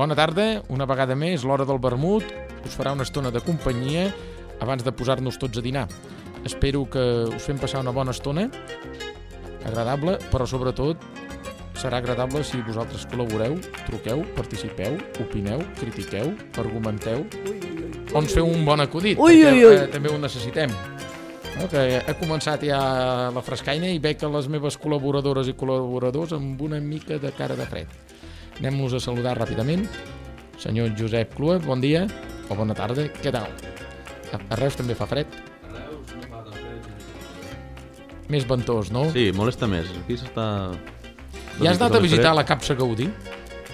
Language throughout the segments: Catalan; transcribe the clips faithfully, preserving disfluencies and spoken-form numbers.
Bona tarda, una vegada més, l'hora del vermut us farà una estona de companyia abans de posar-nos tots a dinar. Espero que us fem passar una bona estona, agradable, però sobretot serà agradable si vosaltres col·laboreu, truqueu, participeu, opineu, critiqueu, argumenteu, o ens feu un bon acudit, ui, perquè ui, ui. Eh, també ho necessitem. No, que ha començat ja la frescaina i veig que les meves col·laboradores i col·laboradors amb una mica de cara de fred. Anem-nos a saludar ràpidament. Senyor Josep Clua, bon dia, o bona tarda, què tal? A, a Reus també fa fred? A Reus no fa tan fred. Més ventós, no? Sí, molesta més. Aquí s'està... Ja has anat a visitar la capsa Gaudí?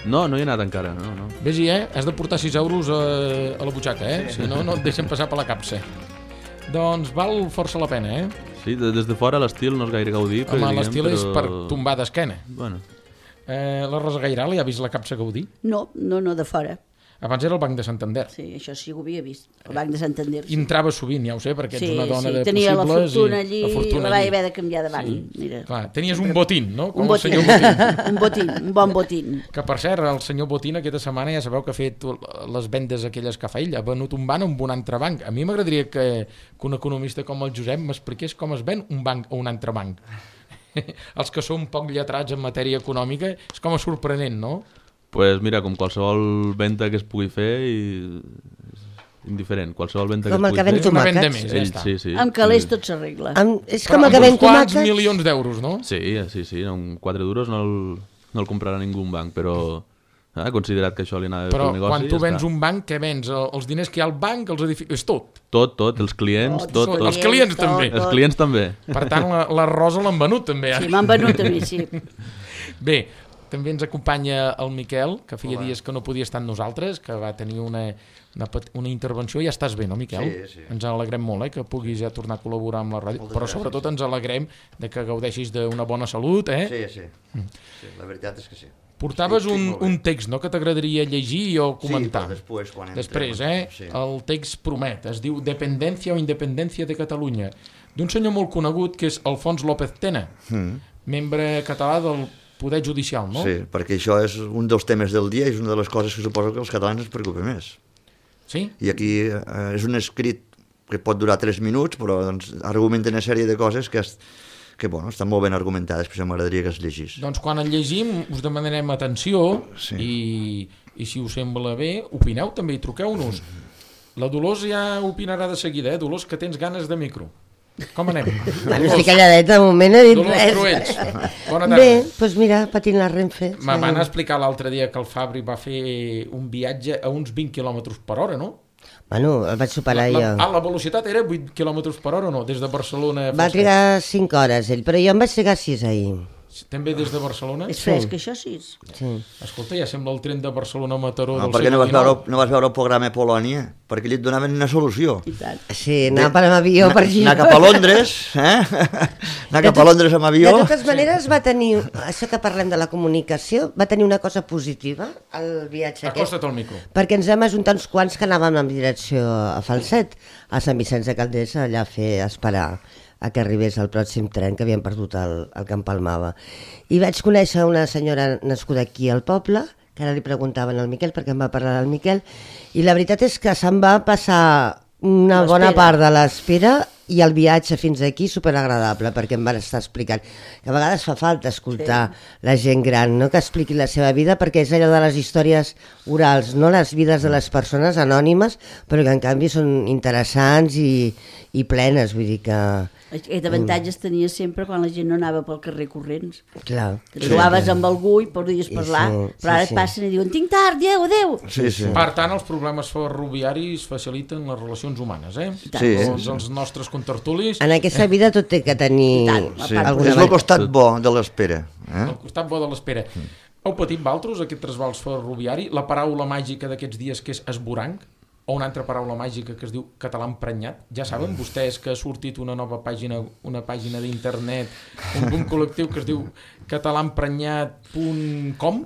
No, no hi he anat encara, no, no. Vés-hi, eh? Has de portar sis euros a, a la butxaca, eh? Si no, no et deixen passar per la capsa. Doncs val força la pena, eh? Sí, de, des de fora l'estil no és gaire Gaudí. Home, diguem, l'estil però... és per tombar d'esquena. Bueno. Eh, la Rosa Gairal ja ha vist la capsa Gaudí? No, no, no, de fora. Abans era el Banc de Santander. Sí, això sí ho havia vist, el Banc de Santander. I entrava sovint, ja ho sé, perquè sí, ets una dona sí, de tenia possibles. la fortuna i allí, la fortuna la vaig allí. haver de canviar de banc. Sí. Mira. Clar, tenies un botín, no? Com Un botín. el senyor Botín. un botín, un bon botín. Que, per cert, el senyor Botín aquesta setmana ja sabeu que ha fet les vendes aquelles que fa ell, ha venut un banc amb un altre banc. A mi m'agradaria que, que un economista com el Josep m'expliqués com es ven un banc a un altre banc. Els que som poc lletrats en matèria econòmica és com a sorprenent, no? Pues mira, com qualsevol venda que es pugui fer, i... indiferent, qualsevol venda Com que el es que pugui ven fer... Una venda tomàquets. més, ja Ell, està. sí, sí. Amb calés sí. tot s'arregla. Amb, és Però com el que amb ven uns quants tomàquets. milions d'euros, no? Sí, sí, sí, amb quatre duros no el, no el comprarà ningú un banc, però ha considerat que això li anava Però pel negoci. quan tu ja vens està. un banc, què vens? Els diners que hi ha al banc, els edificis... És tot. Tot, tot, els clients, tot, tot. Els clients també. Els clients també. Per tant, la, la Rosa l'han venut també. Sí, Ara. m'han venut a mi, sí. Bé, també ens acompanya el Miquel, que feia Hola. dies que no podia estar amb nosaltres, que va tenir una, una, pet- una intervenció. Ja estàs bé, no, Miquel? Sí, sí. Ens alegrem molt, eh, que puguis ja tornar a col·laborar amb la ràdio, Moltes però gràcies. sobretot ens alegrem de que gaudeixis d'una bona salut, eh? Sí, sí. sí. La veritat és que sí. Portaves Estic- estic un, molt bé. un text, no?, que t'agradaria llegir o comentar. Sí, però després, quan entrem... Després, eh? Sí. El text promet, es diu Dependència o Independència de Catalunya, d'un senyor molt conegut que és Alfons López Tena, Mm. membre català del Poder Judicial, no? Sí, perquè això és un dels temes del dia i és una de les coses que suposo que els catalans ens preocupa més. Sí? I aquí eh, és un escrit que pot durar tres minuts, però doncs, argumenta una sèrie de coses que, es, que bueno, estan molt ben argumentades, per això m'agradaria que es llegís. Doncs quan el llegim us demanarem atenció Sí. i, i si us sembla bé, opineu també i truqueu-nos. La Dolors ja opinarà de seguida, eh? Dolors, que tens ganes de micro. Com anem? Bueno, estic calladeta, de moment no he dit Dolors res. Cruells, bona tarda. Bé, doncs mira, patint la Renfe. Me van explicar l'altre dia que el Fabri va fer un viatge a uns vint quilòmetres per hora, no? Bueno, el vaig superar la, jo. ah, la velocitat era vuit quilòmetres per hora o no? Des de Barcelona... Va trigar cinc hores ell, però jo em vaig trigar sis ahir. També des de Barcelona? És fresc, això sí. Sí. Escolta, ja sembla el tren de Barcelona a Mataró Ah, del per què no segle vas, veure, dinou. no vas veure el programa Polònia? Perquè allí et donaven una solució. I tant. Sí, anar per amb avió per aquí. Anar cap a Londres, eh? Anar cap a Londres amb avió. De totes maneres va tenir, això que parlem de la comunicació, va tenir una cosa positiva el viatge aquest. Acosta't al micro. Perquè ens vam ajuntar uns quants que anàvem en direcció a Falset, a Sant Vicenç de Calders, allà a fer a esperar a que arribés el pròxim tren, que havíem perdut el, el que empalmava. I vaig conèixer una senyora nascuda aquí al poble, que ara li preguntaven al Miquel, perquè em va parlar del Miquel, i la veritat és que se'n va passar una bona L'espera. part de l'espera i el viatge fins aquí superagradable, perquè em van estar explicant que a vegades fa falta escoltar sí. la gent gran, no?, que expliqui la seva vida, perquè és allò de les històries orals, no les vides de les persones anònimes, però que en canvi són interessants i, i plenes, vull dir que... Aquest avantatge es tenia sempre quan la gent no anava pel carrer corrents. Clar, Que trobaves amb algú i podies I parlar, sí, però ara sí, et sí. passen i diuen tinc tard, adéu, adéu. Sí, sí. Per tant, els problemes ferroviaris faciliten les relacions humanes, eh? Sí. Tots els nostres contertulis, en aquesta vida tot té que tenir tant, Sí. alguna És el costat bo de l'espera. Eh? al costat bo de l'espera. Heu patit valtros aquest trasbals ferroviari? La paraula màgica d'aquests dies que és esboranc? O una altra paraula màgica que es diu català emprenyat. Ja saben vostès que ha sortit una nova pàgina, una pàgina d'internet, un, un col·lectiu que es diu català emprenyat punt com?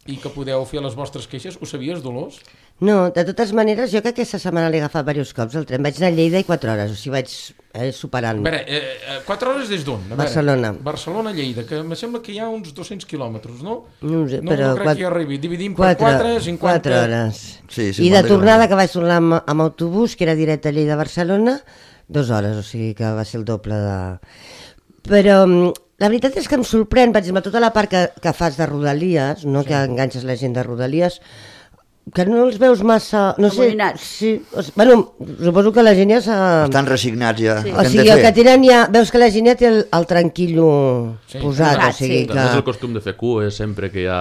i que podeu fer les vostres queixes. Ho sabies, Dolors? No, de totes maneres, jo que aquesta setmana l'he agafat diversos cops el tren. Vaig anar a Lleida i quatre hores, o sigui, vaig eh, superant. A veure, eh, quatre hores des d'on? Barcelona. Barcelona-Lleida, que em sembla que hi ha uns dos-cents quilòmetres, no? No ho sé, no, però... No crec quatre, que hi arribi. Dividim per quatre, cinquanta... quatre hores. Sí, I de tornada, que vaig tornar amb, amb autobús, que era directe a Lleida-Barcelona, dues hores, o sigui que va ser el doble de... Però la veritat és que em sorprèn, per exemple, tota la part que, que fas de Rodalies, no, sí. que enganxes la gent de Rodalies, que no els veus massa... No sé, sí, o sigui, bueno, suposo que la gent ja s'ha... Estan resignats ja. Sí. O sigui, el que tenen ja... Veus que la gent ja té el, el tranquillo sí. posat, Clar, o sigui sí. que... No és el costum de fer cues sempre que hi ha...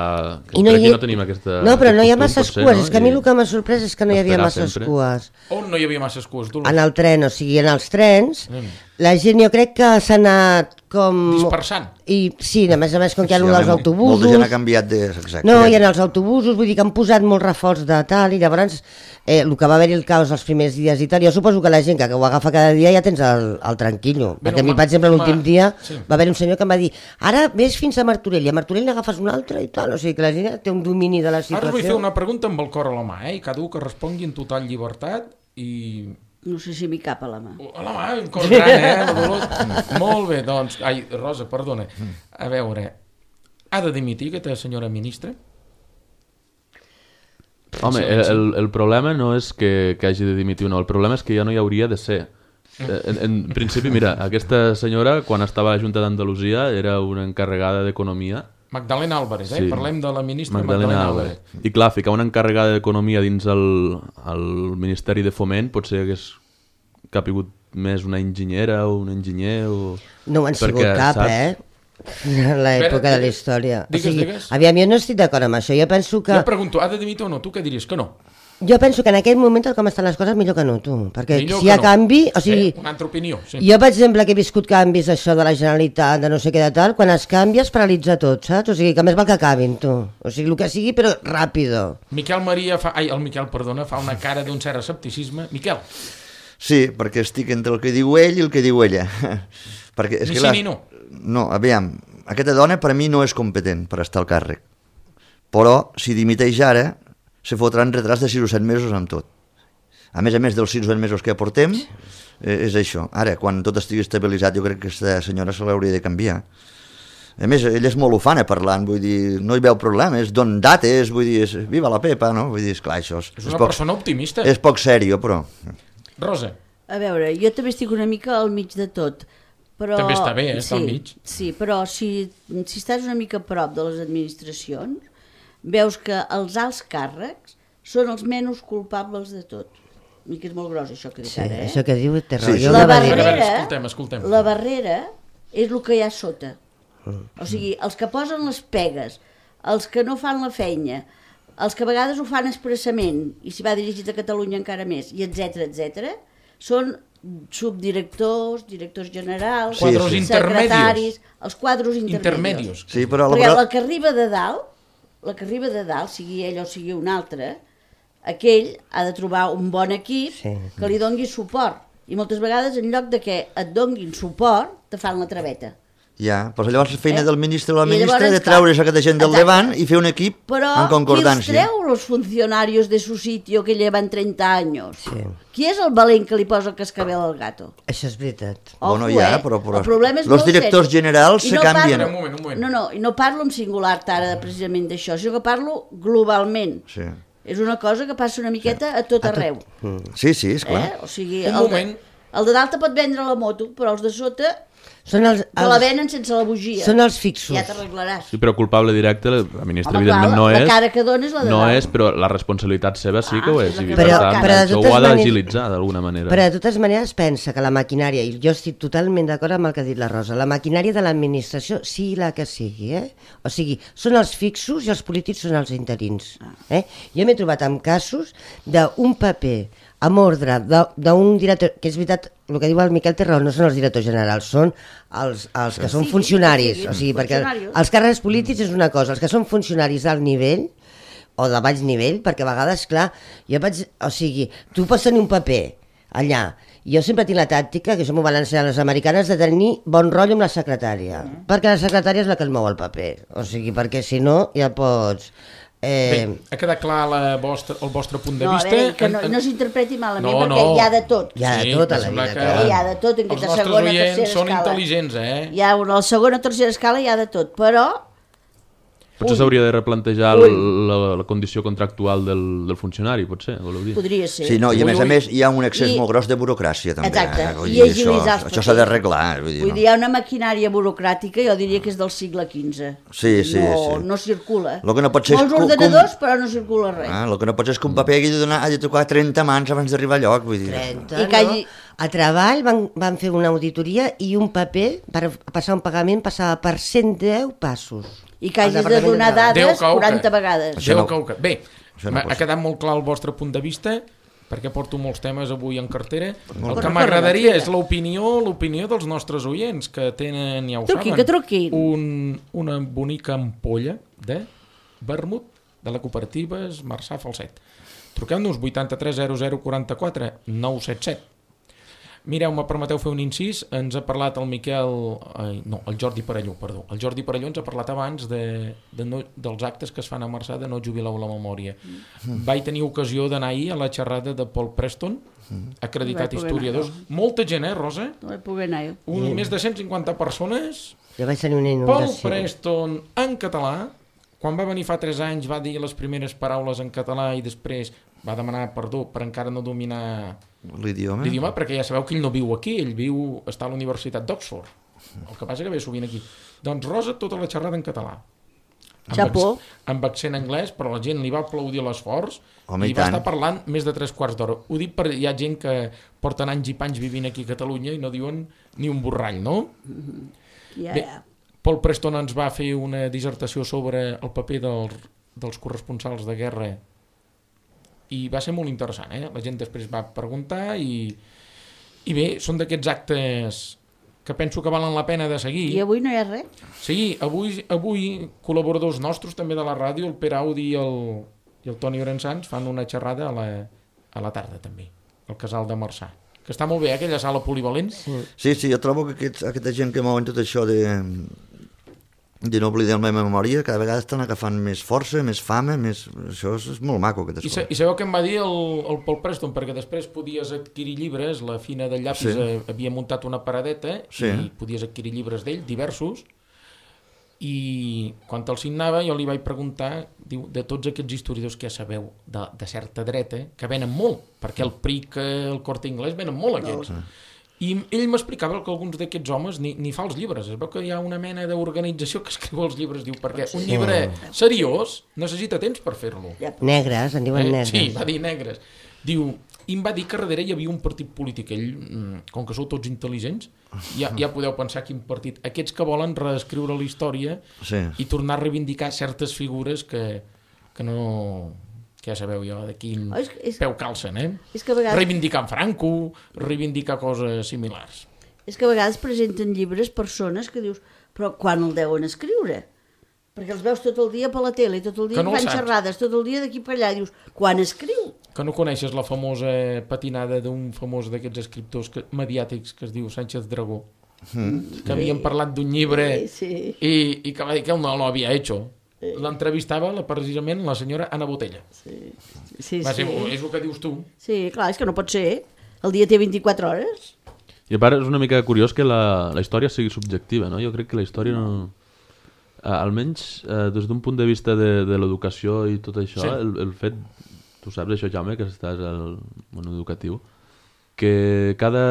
Que no crec hi... que no tenim aquesta... No, però no hi ha costum, masses potser, cues, no? és que a mi I... el que m'ha sorprès és que no hi havia masses sempre. cues. On no hi havia masses cues, Dolors? En el tren, o sigui, en els trens, Mm. la gent jo crec que s'ha anat com... Dispersant. I sí, a més a més, com que hi ha Sí, allò dels molta autobusos... gent ha canviat de... Exacte. No, i en els autobusos, vull dir que han posat molt reforç de tal, i llavors eh, el que va haver-hi el caos els primers dies i tal, jo suposo que la gent que ho agafa cada dia ja tens el, el tranquillo, Bé, perquè no, a mi, per exemple, l'últim ma- dia sí. va haver un senyor que em va dir ara ves fins a Martorell, i a Martorell n'agafes un altre i tal, o sigui que la gent ja té un domini de la Ara situació. us vull fer una pregunta amb el cor a la mà, eh? I cada un que respongui en total llibertat i... No sé si m'hi cap a la mà. A la mà, un cor gran, eh? La Dolors. Molt bé, doncs... Ai, Rosa, perdona. A veure, ha de dimitir aquesta senyora ministra? Home, el, el, el problema no és que, que hagi de dimitir o no, el problema és que ja no hi hauria de ser. En, en principi, mira, aquesta senyora, quan estava a la Junta d'Andalusia, era una encarregada d'Economia. Magdalena Álvarez, eh? Sí. Parlem de la ministra Magdalena, Magdalena Álvarez. Álvarez. I clar, ficar una encarregada d'Economia dins el, el Ministeri de Foment potser hagués capigut més una enginyera o un enginyer o... No ho han sigut Perquè, cap, saps? eh? En l'època Espera, de la història. digues, o sigui, digues. aviam, jo no estic d'acord amb això, jo penso que... Jo pregunto, ha de dimitir o no? Tu què diries? Que no? Jo penso que en aquest moment, com estan les coses, millor que no, tu. Perquè Millor si que hi ha no. canvi... O sigui, Eh, una altra opinió, sí. jo, per exemple, que he viscut canvis això de la Generalitat, de no sé què de tal, quan es canvia es paralitza tot, saps? O sigui, que més val que acabin, tu. O sigui, el que sigui, però ràpido. Miquel Maria fa... Ai, el Miquel, perdona, fa una cara d'un cert escepticisme. Miquel, Sí, perquè estic entre el que diu ell i el que diu ella. perquè és Ni que sí la... ni no. No, aviam, aquesta dona per a mi no és competent per estar al càrrec. Però, si dimiteix ara, se fotran retrats de sis o set mesos amb tot. A més a més dels sis o set mesos que aportem, eh, és això. Ara, quan tot estigui estabilitzat, jo crec que aquesta senyora se l'hauria de canviar. A més, ella és molt ufana parlant, vull dir, no hi veu problemes, don dates, vull dir, és, viva la Pepa, no? Vull dir, esclar, això és, És una poc, persona optimista. és poc sèrio, però... Rosa, A veure, jo també estic una mica al mig de tot. Però... També està bé, eh, estar sí, al mig. Sí, però si, si estàs una mica a prop de les administracions, veus que els alts càrrecs són els menys culpables de tot. I que és molt gros això que dic Sí, ara, eh? això que diu té raó. Sí, Jo sí. La ho va dir. A veure, barrera, escoltem, escoltem. la barrera és el que hi ha sota. O sigui, els que posen les pegues, els que no fan la feina, els que a vegades ho fan expressament, i si va dirigit a Catalunya encara més, i etc etc, són subdirectors, directors generals, Sí, Quadros sí. secretaris, els quadros intermedios. Intermedios. Sí, però la, Perquè la, la que arriba de dalt, la que arriba de dalt, sigui ell o sigui un altre, aquell ha de trobar un bon equip Sí. que li dongui suport. I moltes vegades, en lloc de que et donguin suport, te fan la traveta. ja, però llavors la feina Eh? del ministre o la I ministra llavors, de treure's aquesta gent del exacte. davant i fer un equip Però en qui els concordància. treu los funcionarios de su sitio que llevan treinta años? Sí. Qui és el valent que li posa el cascabel al gato? Això és veritat. Bueno, Ojo, ja, eh? però- però El problema és los molt directors seri. generals I se no canvien. Parlo, Un moment, un moment. No, no, i no parlo en singular ara precisament d'això, sinó que parlo globalment. Sí. És una cosa que passa una miqueta a tot arreu. Sí, sí, és Eh? clar. O sigui, Un el, moment. de, el de dalt te pot vendre la moto, però els de sota Són els, te la els, venen sense la bugia. són els fixos. Ja t'arreglaràs. Sí, però culpable directe, la la ministra Home, evidentment clar, no la és. cara que dona és la de no dalt. és, però la responsabilitat seva sí que Ah, ho sí, és. la I que per Però- tant, però de això totes ho ha maneres- d'agilitzar d'alguna manera. Però de totes maneres pensa que la maquinària, i jo estic totalment d'acord amb el que ha dit la Rosa, la maquinària de l'administració, sigui la que sigui, eh? O sigui, són els fixos i els polítics són els interins. Eh? Jo m'he trobat amb casos d'un paper amb ordre de- d'un director, que és veritat, el que diu el Miquel té raó, no són els directors generals, són els, els que són Sí, funcionaris. sí, O sigui, perquè funcionaris. els càrrecs polítics és una cosa, els que són funcionaris d'alt nivell o de baix nivell, perquè a vegades, clar, jo vaig, o sigui, tu pots tenir un paper allà, jo sempre tinc la tàctica, que això m'ho van ensenyar les americanes, de tenir bon rotllo amb la secretària, perquè la secretària és la que et mou el paper, o sigui, perquè si no ja pots Eh... Bé, ha quedat clar la vostra, el vostre punt de No, a vista? veure, que no, En- en- no s'interpreti malament, No, perquè no. hi ha de tot. Hi ha de Sí, tot a em la sembla vida, que clar. Hi ha de tot, en Els aquesta nostres segona, oients tercera són escala. intel·ligents, eh? Hi ha una, a la segona o tercera escala hi ha de tot, però Potser s'hauria de replantejar Ui. la, la condició contractual del, del funcionari, potser, voleu dir? podria ser. Sí, no, i a Ui, més a ui. més hi ha un excés I- molt gros de burocràcia també. Exacte, eh? Vull i dir, agilitzar els això, això s'ha processos. d'arreglar. Vull dir, Vull no. dir, hi ha una maquinària burocràtica, jo diria que és del segle quinze. Sí, sí, no, sí. no circula. Lo que no pot ser és Molts com- ordenadors, però no circula res. Ah, el que no pot ser és que un paper hagi de, donar, hagi de tocar trenta mans abans d'arribar al lloc. Vull dir. trenta, I que hagi- no? A treball van, van fer una auditoria i un paper per passar un pagament passava per cent deu passos. I que Al hagis de Departament donar de Treball. Déu dades cau que- quaranta vegades. Això Déu no- cau que... Bé, això no m'ha- pot ha ser. quedat molt clar el vostre punt de vista, perquè porto molts temes avui en cartera. El Corre, que corre, m'agradaria corre. és l'opinió l'opinió dels nostres oients, que tenen, ja ho Truqui, saben, que truquin. un, una bonica ampolla de vermut de la cooperativa Marçà Falset. Truqueu-nos vuitanta-tres zero zero quaranta-quatre nou set set. Mireu, me permeteu fer un incís, ens ha parlat el Miquel, ai, no, el Jordi Parelló, perdó. El Jordi Parelló ens ha parlat abans de, de no, dels actes que es fan a Marçà de no jubileu la memòria. Mm. Vaig tenir ocasió d'anar ahir a la xerrada de Paul Preston, acreditat No vaig poder historiador. anar, Molta gent, eh, Rosa? No vaig poder anar jo. Un, Més de cent cinquanta persones. Jo vaig tenir una Paul inundació. Preston en català, quan va venir fa tres anys va dir les primeres paraules en català i després va demanar perdó per encara no dominar L'idioma. l'idioma, perquè ja sabeu que ell no viu aquí, ell viu, està a la Universitat d'Oxford. El que passa que ve sovint aquí. Doncs Rosa, tota la xerrada en català. Amb, Xapó. acc- amb accent anglès, però la gent li va aplaudir l'esforç Home, i i va tant. estar parlant més de tres quarts d'hora. Ho dic perquè hi ha gent que porten anys i panys vivint aquí a Catalunya i no diuen ni un borrall, no? Ja, Bé, ja. Paul Preston ens va fer una dissertació sobre el paper dels, dels corresponsals de guerra i va ser molt interessant, eh? La gent després va preguntar i, i bé, són d'aquests actes que penso que valen la pena de seguir. I avui no hi ha res? Sí, avui, avui col·laboradors nostres també de la ràdio, el Pere Audi i el, i el Toni Orensans fan una xerrada a la, a la tarda també, al Casal de Marçà, que està molt bé, eh, aquella sala polivalent. Sí. Sí, sí, jo trobo que aquests, aquesta gent que mouen tot això de, de no oblidar la meva memòria, cada vegada estan agafant més força, més fama, més... això és, és molt maco, aquest I, sa escola. I sabeu què em va dir el, el Paul Preston? Perquè després podies adquirir llibres, la Fina del Llapis Sí. sí. havia muntat una paradeta Sí. i podies adquirir llibres d'ell, diversos, i quan te'l signava jo li vaig preguntar, diu, de tots aquests historiadors que ja sabeu de, de certa dreta, que venen molt, perquè el P R I C, el Corte Inglés, venen molt aquests. I ell m'explicava que alguns d'aquests homes ni, ni fa els llibres. Es veu que hi ha una mena d'organització que escriu els llibres, diu, perquè un llibre seriós necessita temps per fer-lo. Negres, en diuen Eh? negres. Sí, va dir negres. Diu, i em va dir que darrere hi havia un partit polític. Ell, mm, com que sou tots intel·ligents, ja, ja podeu pensar quin partit. Aquests que volen reescriure la història Sí. i tornar a reivindicar certes figures que, que no... que ja sabeu jo de quin Oh, és, és, peu calcen, eh? és, que a vegades, Reivindicar en Franco, reivindicar coses similars. és que a vegades presenten llibres persones que dius, però quan el deuen escriure? Perquè els veus tot el dia per la tele, tot el dia Que no el fan saps. xerrades, tot el dia d'aquí per allà, dius, quan escriu? Que no coneixes la famosa patinada d'un famós d'aquests escriptors que, mediàtics que es diu Sánchez Dragó, mm. que havien parlat d'un llibre Sí, sí. i, i que va dir que ell no l'havia hecho. L'entrevistava la, precisament la senyora Anna Botella. Sí, sí, Va ser, sí. és el que dius tu. Sí, clar, és que no pot ser. El dia té vint-i-quatre hores. I a part és una mica curiós que la, la història sigui subjectiva, no? Jo crec que la història no... Eh, almenys eh, des d'un punt de vista de, de l'educació i tot això, Sí. el, el fet, tu saps això, Jaume, que estàs al món educatiu, que cada,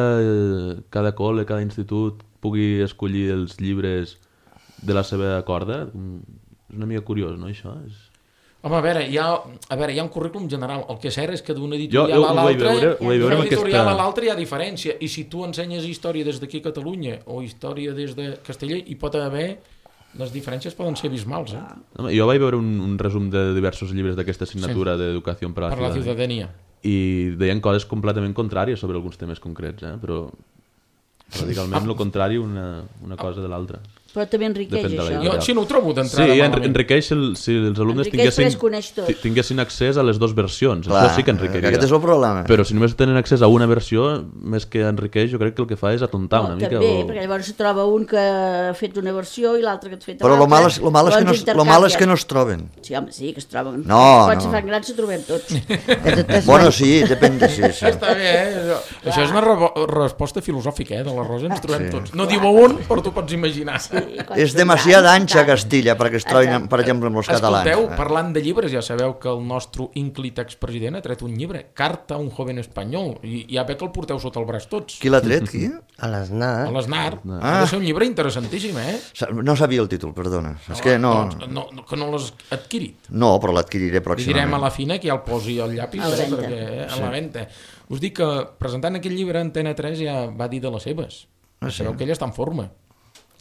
cada col·le, cada institut pugui escollir els llibres de la seva corda, mm, és una mica curiós, no, això? És... Home, a veure, hi ha, a veure, hi ha un currículum general. El que és cert és que d'un Jo- editorial jo a ho vaig l'altre veure- ho vaig veure d'un amb editorial aquesta- a l'altre hi ha diferència. I si tu ensenyes història des d'aquí a Catalunya o història des de Castella, hi pot haver... Les diferències poden ser abismals, eh? Home, jo vaig veure un, un resum de diversos llibres d'aquesta assignatura sí. d'educació per a la Per la ciutadania. ciutadania. I deien coses completament contràries sobre alguns temes concrets, eh? Però radicalment el contrari una, una cosa de l'altra. Però també enriqueix Depèn de la això. editorial. Jo així no ho trobo d'entrada Sí, malament. enriqueix el, si els alumnes Enriqueix perquè es tinguessin, coneix tot. ti- tinguessin accés a les dues versions. Clar, Això sí que enriqueiria. aquest és el problema. Però si només tenen accés a una versió, més que enriqueix, jo crec que el que fa és atontar No, una mica. també, o... perquè llavors se troba un que ha fet una versió i l'altre que ha fet Però l'altra. lo mal és, lo mal és, que no, Llavors es- lo mal és que intercanvien. no es troben. Sí, home, sí, que es troben. No, Quan se no. fan grans se trobem tots. De totes Bueno, maneres- sí, depèn de... Sí, sí. Està bé, eh? Això és una re resposta filosòfica, eh, de la Rosa, ens trobem tots. No diu un, però tu pots imaginar. És demasiada ancha Castilla perquè es trobin, per exemple, amb els catalans. Escolteu, parlant de llibres, ja sabeu que el nostre ínclit expresident ha tret un llibre, Carta a un joven espanyol, i ja ve que el porteu sota el braç tots. Qui l'ha tret, qui? A l'Snar. A l'Snar. Ah. Ha de ser un llibre interessantíssim, eh? Sa- No sabia el títol, perdona. És que no... Doncs, no, no que no l'has adquirit. No, però l'adquiriré Li direm a pròximament. la fina que ja el posi al llapis, A la eh, venta. perquè, eh, a la venta. Us dic que presentant aquest llibre Antena tres ja va dir de les seves. Ah, sí? Sabeu que ella està en forma.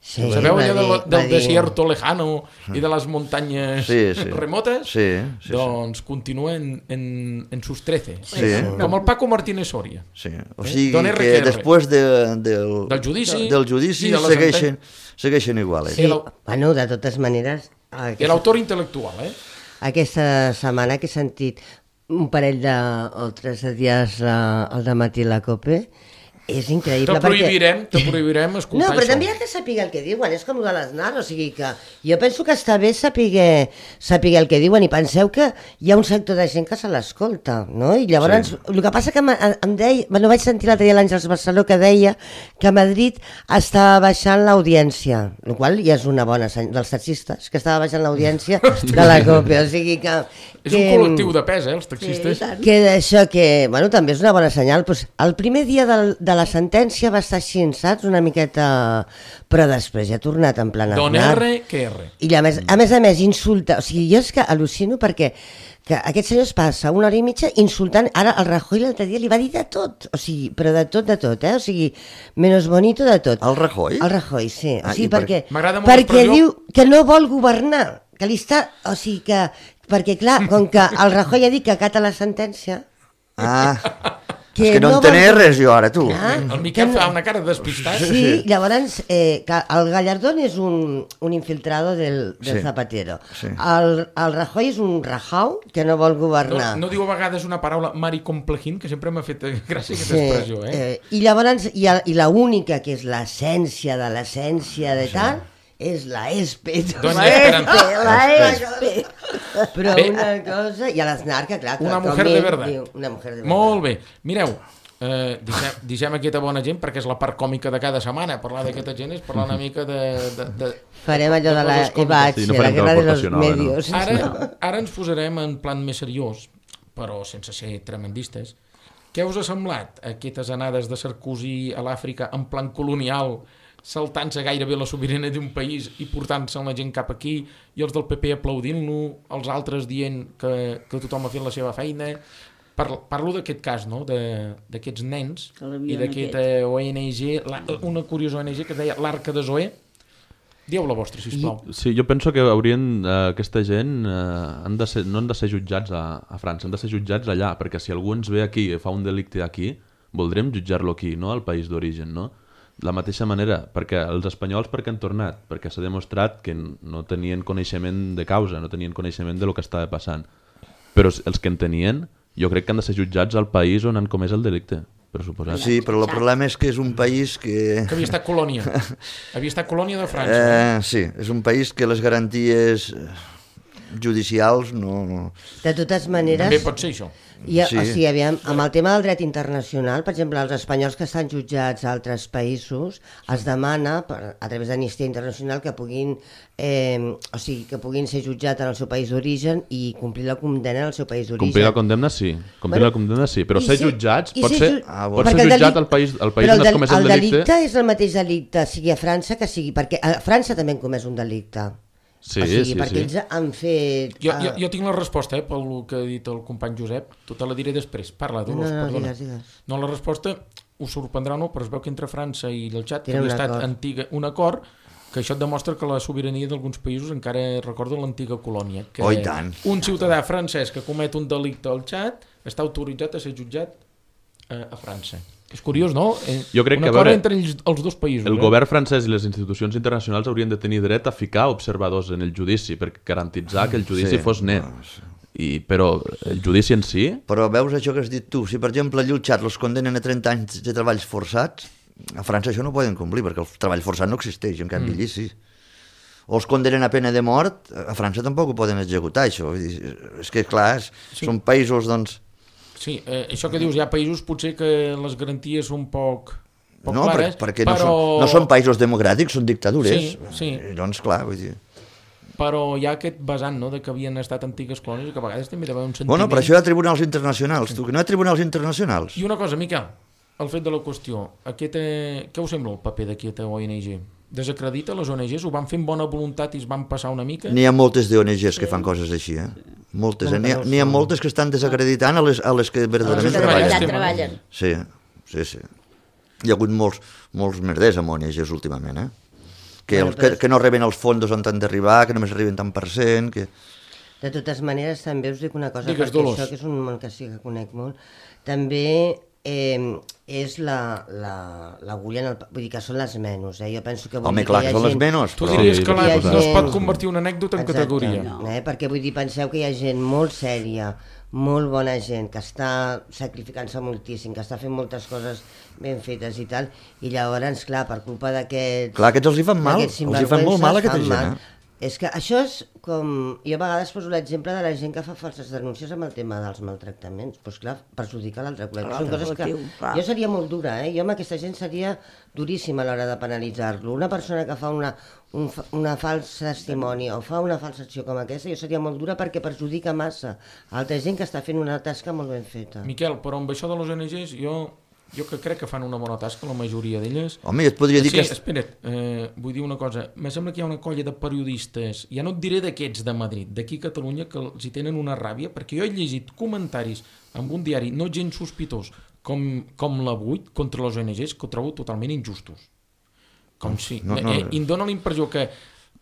Sí, Sabeu va allò de dir- la, va del dir- desierto lejano i de les muntanyes Sí, sí. remotes? Sí, sí, sí. Doncs continua en, en, en sus trece. Sí. Com el Paco Martínez Soria. Sí. O Eh? sigui Don R que Q R. després de, del, Del judici del judici i de la segueixen, segueixen igual. Sí. Eh? Sí, bueno, de totes maneres, I aquesta, l'autor intel·lectual, eh? aquesta setmana que he sentit un parell de, o tres de dies uh, al dematí a la COPE, és increïble. Te prohibirem, te prohibirem No, escoltar però això. també hi ha que saber el que diuen, és com el de l'Snar, o sigui que jo penso que està bé saber, saber el que diuen, i penseu que hi ha un sector de gent que se l'escolta, no? I llavors, sí. El que passa que em, em deia, bueno, vaig sentir l'altre dia l'Àngels Barceló que deia que a Madrid estava baixant l'audiència, el qual ja és una bona senyal, dels taxistes, que estava baixant l'audiència de la COPE, o sigui que... És que, un col·lectiu de pes, eh, els Sí, taxistes. i tant. que d'això que, bueno, també és una bona senyal. Pues, el primer dia del, de la sentència va estar així, saps? Una miqueta... Però després ja ha tornat en plan Don Aznar. R que R. I a més, a més a més insulta, o sigui, jo és que al·lucino perquè que aquest senyor es passa una hora i mitja insultant, ara el Rajoy l'altre dia li va dir de tot, o sigui, però de tot, de tot, eh? O sigui, menos bonito de tot. El Rajoy? El Rajoy, sí. Ah, O sigui, i per- perquè, M'agrada molt perquè l'expressió. diu que no vol governar, que li està... O sigui que... Perquè, clar, com que el Rajoy ha dit que acata la sentència... Ah, Que és que no, no en tenia vol- res jo ara, tu. Ah, El Miquel que no- fa una cara despistat. Sí, llavors eh, que el Gallardón és un, un infiltrado del, del Sí, Zapatero. sí. El, el Rajoy és un rajau que no vol No, governar. no diu a vegades una paraula maricomplejint, que sempre m'ha fet gràcia aquesta Sí, expressió, eh? eh, I llavors, i, el- i la única que és l'essència de l'essència de tal, és la ESPE. Doña La Esperanza. ESPE, la ESPE. Però Bé, una cosa... I a l'Snar, que clar... que Una com mujer de ell verdad. diu, Una mujer de verdad. Molt bé. Mireu, eh, deixem, deixem aquesta bona gent, perquè és la part còmica de cada setmana. Parlar d'aquesta gent és parlar una mica de... de, de Farem allò de la coses còmiques. Ebache, Sí, no la farem guerra de los teleportació nova, no. medios. Ara, ara ens posarem en plan més seriós, però sense ser tremendistes. Què us ha semblat aquestes anades de Sarkozy a l'Àfrica en plan colonial, saltant-se gairebé la sobirania d'un país i portant-se la gent cap aquí, i els del P P aplaudint-lo, els altres dient que, que tothom ha fet la seva feina? Parlo, parlo d'aquest cas, no?, de- d'aquests nens Que l'havien i d'aquesta O N G, la, una curiosa O N G que es deia l'Arca de Zoé. Dieu la vostra, sisplau. Sí, jo penso que haurien, eh, aquesta gent eh, han de ser, no han de ser jutjats a, a França, han de ser jutjats allà, perquè si algú ens ve aquí i fa un delicte aquí, voldrem jutjar-lo aquí, no al país d'origen, no? De la mateixa manera, perquè els espanyols per què han tornat? Perquè s'ha demostrat que no tenien coneixement de causa, no tenien coneixement de lo que estava passant. Però els que en tenien, jo crec que han de ser jutjats al país on han comès el delicte, per suposat. Sí, però el problema és que és un país que... Que havia estat colònia. Havia estat colònia de França. Eh? Eh, sí, és un país que les garanties eh, judicials no... no. De totes maneres... També pot ser això. I, Sí. O sigui, aviam, amb el tema del dret internacional, per exemple, els espanyols que estan jutjats a altres països, es demana, per, a través d'Amnistia Internacional, que puguin, eh, o sigui, que puguin ser jutjats en el seu país d'origen i complir la condemna en el seu país d'origen. Complir la condemna sí, complir Bueno, la condemna sí, però i ser ser- jutjats i pot ser ser, ju- Ah, pot bueno. ser Perquè el jutjat deli- al país, al país però on el has del- comès el el delicte. delicte és el mateix delicte, sigui a França que sigui... Perquè a França també han comès un delicte. Sí, o sigui, sí, perquè sí. ells han fet... Jo, ah, jo, jo tinc la resposta, eh, pel que ha dit el company Josep. Tu te la diré després. Parla, No, Dolors, no, no, perdona. digues, digues. No, la resposta us sorprendrà o no, però es veu que entre França i el xat Tenen havia un estat acord. antiga, un acord que això et demostra que la sobirania d'alguns països encara recorda l'antiga colònia. Que Oh, i tant. un ciutadà francès que comet un delicte al xat està autoritzat a ser jutjat eh, a França. És curiós, no? Eh, Jo crec un que, a acord veure, entre els, els dos països. El eh? govern francès i les institucions internacionals haurien de tenir dret a ficar observadors en el judici per garantitzar que el judici Sí, fos net. no, sí. I, però el judici en si... Però veus això que has dit tu, si per exemple a Llutxat els condenen a trenta anys de treballs forçats, a França això no ho poden complir perquè el treball forçat no existeix, en canvi allí sí. O els condenen a pena de mort, a França tampoc ho poden executar això. Vull dir, és que clar, és, Sí. són països doncs... Sí, eh, això que dius, hi ha països potser que les garanties són poc, poc No, clares, per, perquè però... no, són, no són països democràtics, són dictadures. Sí, sí. I, doncs clar, vull dir... Però hi ha aquest vessant, no?, de que havien estat antigues colònies i que a vegades també hi ha d'haver un sentiment... Bueno, per això hi ha tribunals internacionals, tu, que no hi ha tribunals internacionals. I una cosa, Miquel, el fet de la qüestió, aquesta... què us sembla el paper d'aquesta O N G? Desacredita les O N Gs? Ho van fer amb bona voluntat i es van passar una mica? N'hi ha moltes d'O N Gs que fan coses així, eh? Moltes, eh? N'hi ha, n'hi ha moltes que estan desacreditant a les, a les que verdaderament que treballen. treballen. treballen. Sí, sí, sí. Hi ha hagut molts, molts merders amb O N Gs últimament, eh? Que, Bueno, el, que, però- que no reben els fondos on han d'arribar, que només arriben tant per cent, que... De totes maneres, també us dic una cosa, Digues, perquè Dolors. això, que és un món que sí que conec molt, també eh, és la- la- l'agulla en el... pa- Vull dir que són les menys, eh? Jo penso que... Vull Home, dir clar, que que hi ha són les gent- menys, Tu però... diries Sí, que la, hi ha no es pot gent- convertir una anècdota en Exacte, categoria. No. Eh? Perquè vull dir, penseu que hi ha gent molt sèria, molt bona gent, que està sacrificant-se moltíssim, que està fent moltes coses ben fetes i tal, i llavors, clar, per culpa d'aquests... Clar, aquests els hi fan mal, d'aquests els hi fan molt mal a sinvergüences, aquesta fan gent, mal. eh? És que això és com... Jo a vegades poso l'exemple de la gent que fa falses denúncies amb el tema dels maltractaments. Doncs pues clar, perjudica l'altre col·lectiu. Són L'altre coses que... col·lectiu, clar. Jo seria molt dura, eh? Jo amb aquesta gent seria duríssima a l'hora de penalitzar-lo. Una persona que fa una, un, fa- una falsa testimoni o fa una falsa acció com aquesta, jo seria molt dura perquè perjudica massa a altra gent que està fent una tasca molt ben feta. Miquel, però amb això de les O N Gs, jo, jo que crec que fan una bona tasca, la majoria d'elles... Home, jo et podria dir Sí, que... espera't, eh, vull dir una cosa. Me sembla que hi ha una colla de periodistes, ja no et diré d'aquests de Madrid, d'aquí a Catalunya, que els hi tenen una ràbia, perquè jo he llegit comentaris en un diari no gens sospitós, com, com l'Avui, contra les O N Gs, que ho trobo totalment injustos. Com si... no, no. Eh, I em dóna la impressió que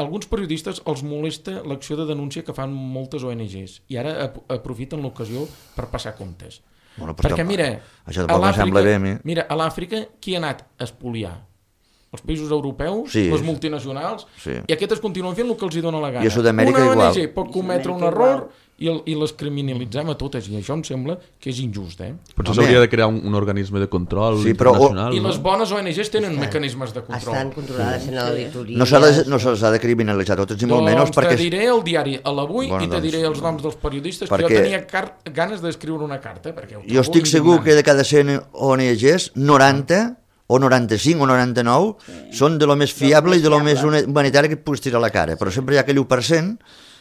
alguns periodistes els molesta l'acció de denúncia que fan moltes O N Gs i ara ap aprofiten l'ocasió per passar comptes. Bueno, però Perquè tampoc- mira, això a tampoc em sembla l'Àfrica, bé a mi. mira, a l'Àfrica qui ha anat a espoliar? Els països europeus, Sí. les multinacionals, Sí. i aquestes continuen fent el que els hi dona la gana. I a Sud-amèrica Una igual. O N G pot cometre un Sud-amèrica error igual. i, el, i les criminalitzem a totes, i això em sembla que és injust, eh? Potser Home. s'hauria de crear un, un organisme de control Sí, però- internacional. I no? les bones O N Gs tenen Estan- mecanismes de control. Estan controlades en l'auditoria. No s'ha de, no se'ls ha de criminalitzar totes, ni molt Doncs menys, perquè... te diré el diari a l'Avui Bueno, i te doncs, diré els noms dels periodistes, perquè- que jo tenia car ganes d'escriure una carta, perquè ho Jo trobo estic segur indignant. que de cada cent O N Gs, noranta o noranta-cinc o noranta-nou són de lo més fiable i de lo més fiable. humanitari que et puguis tirar a la cara, però sempre hi ha aquell u per cent,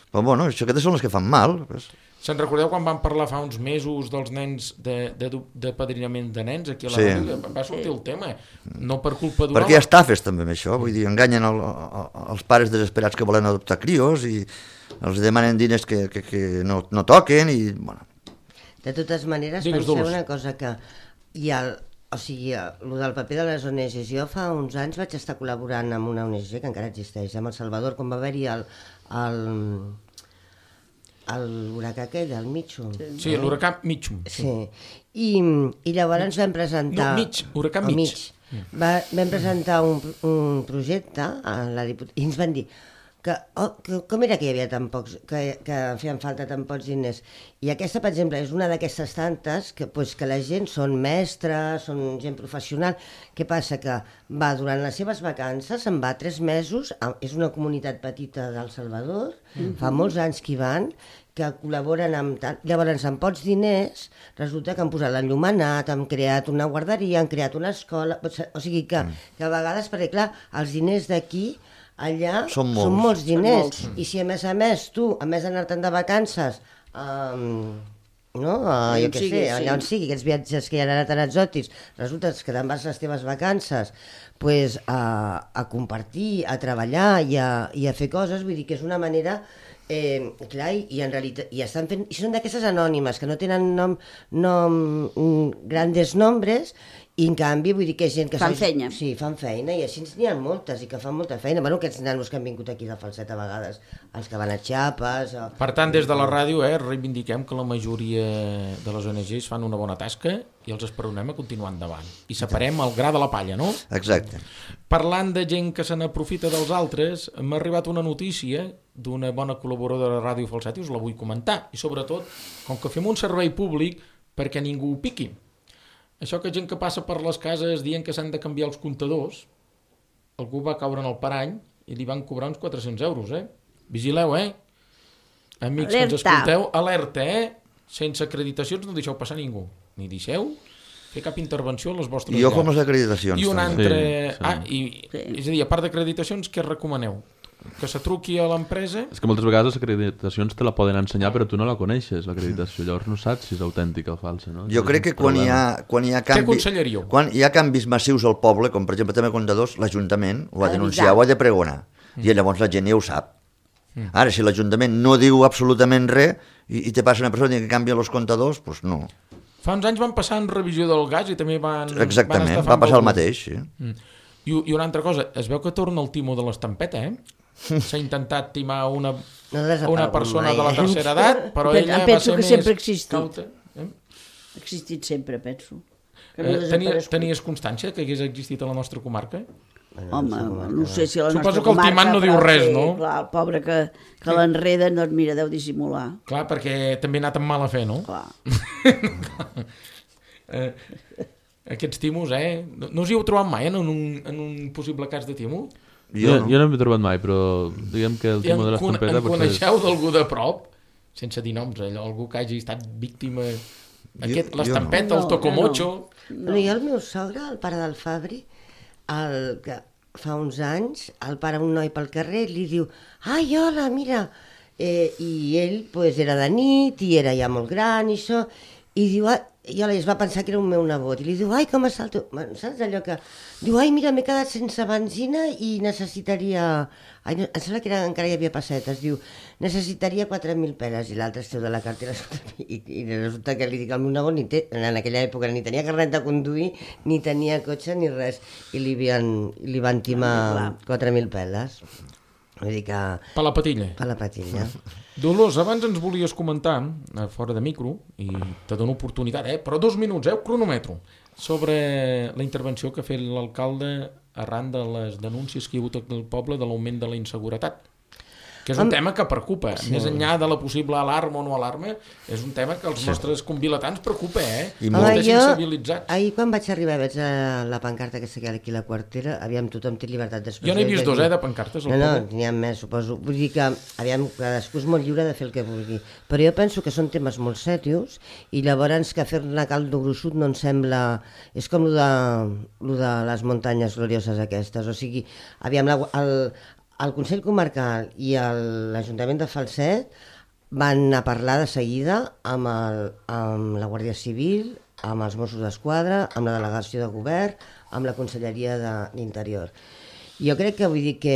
però bueno, això aquestes són les que fan mal. Pues. Se'n recordeu quan vam parlar fa uns mesos dels nens de, de, de padrinament de nens aquí a la Sí. ràdio? Va sortir el tema, no per culpa d'un Perquè hi ha estafes també amb això, vull dir, enganyen el, el, els pares desesperats que volen adoptar crios i els demanen diners que, que, que no, no toquen i... Bueno, De totes maneres, Digues, penseu Dolors. una cosa, que hi ha... O sigui, el del paper de les O N Gs. Jo fa uns anys vaig estar col·laborant amb una O N G que encara existeix, amb El Salvador, quan va haver-hi el, el, el huracà aquell, el Mitchum. Sí, l'huracà Mitchum. Sí. I, I llavors vam presentar... No, Mitch, huracà el Mitch. Va, vam presentar un, un projecte a la diput... i ens van dir que, oh, que com era que hi havia tan pocs, que, que feien falta tan pocs diners. I aquesta, per exemple, és una d'aquestes tantes que, pues, que la gent són mestres, són gent professional. Què passa? Que va durant les seves vacances, se'n va tres mesos, a, és una comunitat petita d'El Salvador, mm-hmm. fa molts anys que hi van, que col·laboren amb tant. Llavors, amb pocs diners, resulta que han posat l'enllumenat, han creat una guarderia, han creat una escola... O sigui que, que a vegades, perquè clar, els diners d'aquí, allà Són són molts. molts diners. molts. I si a més a més tu, a més d'anar-te'n de vacances, um, no? Uh, jo On què sigui, sé, sí. allà on sigui, aquests viatges que hi ha ara tan exòtics, resulta que te'n vas les teves vacances pues, a, a compartir, a treballar i a, i a fer coses, vull dir que és una manera... Eh, clar, i, i en realitat i estan fent, i són d'aquestes anònimes que no tenen nom, nom mm, grandes nombres, i en canvi vull dir que és gent que Fan s'ha- feina. sí, fan feina, i així n'hi ha moltes i que fan molta feina, bueno, aquests nanos que han vingut aquí de falset a vegades, els que van a Chiapas o... Per tant, des de la ràdio eh, reivindiquem que la majoria de les O N Gs fan una bona tasca i els esperonem a continuar endavant. I separem el gra de la palla, no? Exacte. Parlant de gent que se n'aprofita dels altres, m'ha arribat una notícia d'una bona col·laboradora de Ràdio Falset i us la vull comentar. I sobretot, com que fem un servei públic, perquè ningú ho piqui. Això que gent que passa per les cases dient que s'han de canviar els comptadors, algú va caure en el parany i li van cobrar uns quatre-cents euros, eh? Vigileu, eh? Amics que ens escolteu, alerta, eh? Sense acreditacions no deixeu passar ningú. Ni deixeu fer cap intervenció a les vostres I ojo amb llars. les acreditacions. I un també. altre... Sí, sí. Ah, i, és a dir, a part d'acreditacions, què recomaneu? Que se truqui a l'empresa? És que moltes vegades les acreditacions te la poden ensenyar però tu no la coneixes, l'acreditació, llavors no saps si és autèntica o falsa, no? Jo crec que quan hi, ha, quan hi ha canvi... Què aconsellaríeu? Quan hi ha canvis massius al poble, com per exemple també comptadors, l'Ajuntament ho ha Ha de denunciar, d'avisar. ho ha de pregonar. I llavors la gent ja ho sap. Ara, si l'Ajuntament no diu absolutament res i, i te passa una persona que canvia els comptadors, doncs no. Fa uns anys van passar en revisió del gas i també van... Exactament, van va passar el mateix. Sí. Mm. I, I una altra cosa, es veu que torna el timo de l'estampeta, eh? S'ha intentat timar una, No ha desaparegut una persona mai, de la eh? tercera edat, però Em ella va penso ser que més sempre ha existit. cauta. Eh? Ha existit sempre, penso. Que no Eh, ha tenies, desaparegut. tenies constància que hagués existit a la nostra comarca? Home, no sé si a la Suposo nostra que el comarca... timant no diu però res, sí, no? Clar, el pobre que, que l'enreda, doncs mira, deu dissimular. Clar, perquè també ha anat amb mala fe, no? Clar. Eh, aquests timos, eh? No, no us hi heu trobat mai en un, en un possible cas de timo? Jo, no. jo no m'he trobat mai, però diguem que el I en, timo de con- l'estampeta en potser... coneixeu d'algú de prop? Sense dir noms, allò, algú que hagi estat víctima... Aquest, jo l'estampeta, no. el tocomocho... No. Jo el meu sogre, el pare del Fabri, el que fa uns anys, el para un noi pel carrer i li diu «Ai, hola, mira!» eh, I ell pues, era de nit i era ja molt gran i això, i diu, ah, i hola, es va pensar que era un meu nebot, i li diu «Ai, com està el teu...» Saps allò que... Diu «Ai, mira, m'he quedat sense benzina i necessitaria...» Ai, no, em sembla que era, encara hi havia pessetes, diu «Necessitaria quatre mil peles», i l'altre es treu de la cartera i, i resulta que li dic al meu nebot, ni té, en aquella època ni tenia carnet de conduir, ni tenia cotxe ni res, i li, havien, li van timar quatre mil peles. Vull dir que... Per la patilla. Per la patilla. Dolors, abans ens volies comentar, eh, fora de micro, i te dono oportunitat, eh? Però dos minuts, eh? Cronometro, sobre la intervenció que ha fet l'alcalde arran de les denúncies que hi ha hagut al poble de l'augment de la inseguretat. Que és un Am- tema que preocupa. Sí. Més enllà de la possible alarma o no alarma, és un tema que els Sí. nostres convilatans preocupa, eh? I I molt. molt sensibilitzats. ahir quan vaig arribar veig a la pancarta que s'ha aquí a la quartera, aviam, tothom té llibertat d'expressió. Jo n'he vist i dos, dir- eh, de pancartes al No, no, poble. n'hi ha més, suposo. Vull dir que, aviam, cadascú és molt lliure de fer el que vulgui. Però jo penso que són temes molt sèrios i llavors que fer-ne caldo gruixut no em sembla... És com lo de, lo de les muntanyes glorioses aquestes. O sigui, aviam, la, el, el Consell Comarcal i el- l'Ajuntament de Falset van a parlar de seguida amb, el, amb la Guàrdia Civil, amb els Mossos d'Esquadra, amb la delegació de govern, amb la Conselleria de l'Interior. Jo crec que vull dir que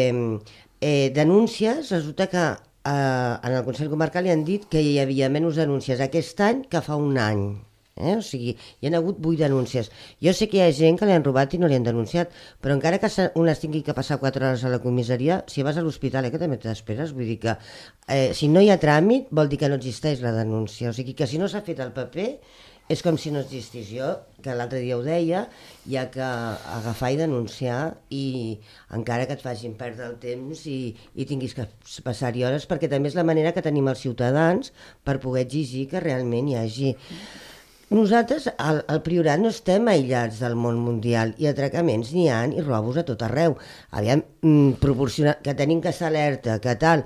eh, denúncies, resulta que eh, en el Consell Comarcal li han dit que hi havia menys denúncies aquest any que fa un any. Eh? O sigui, hi ha hagut vuit denúncies. Jo sé que hi ha gent que li han robat i no li han denunciat, però encara que se- un es tingui que passar quatre hores a la comissaria, si vas a l'hospital, eh, que també t'esperes, vull dir que eh, si no hi ha tràmit vol dir que no existeix la denúncia. O sigui que si no s'ha fet el paper és com si no existís. Jo, que l'altre dia ho deia, hi ha que agafar i denunciar i encara que et facin perdre el temps i, i tinguis que passar-hi hores, perquè també és la manera que tenim els ciutadans per poder exigir que realment hi hagi... Nosaltres, al, al Priorat, no estem aïllats del món mundial i atracaments n'hi ha i robos a tot arreu. Aviam, mm, proporcionar, que tenim que estar alerta, que tal...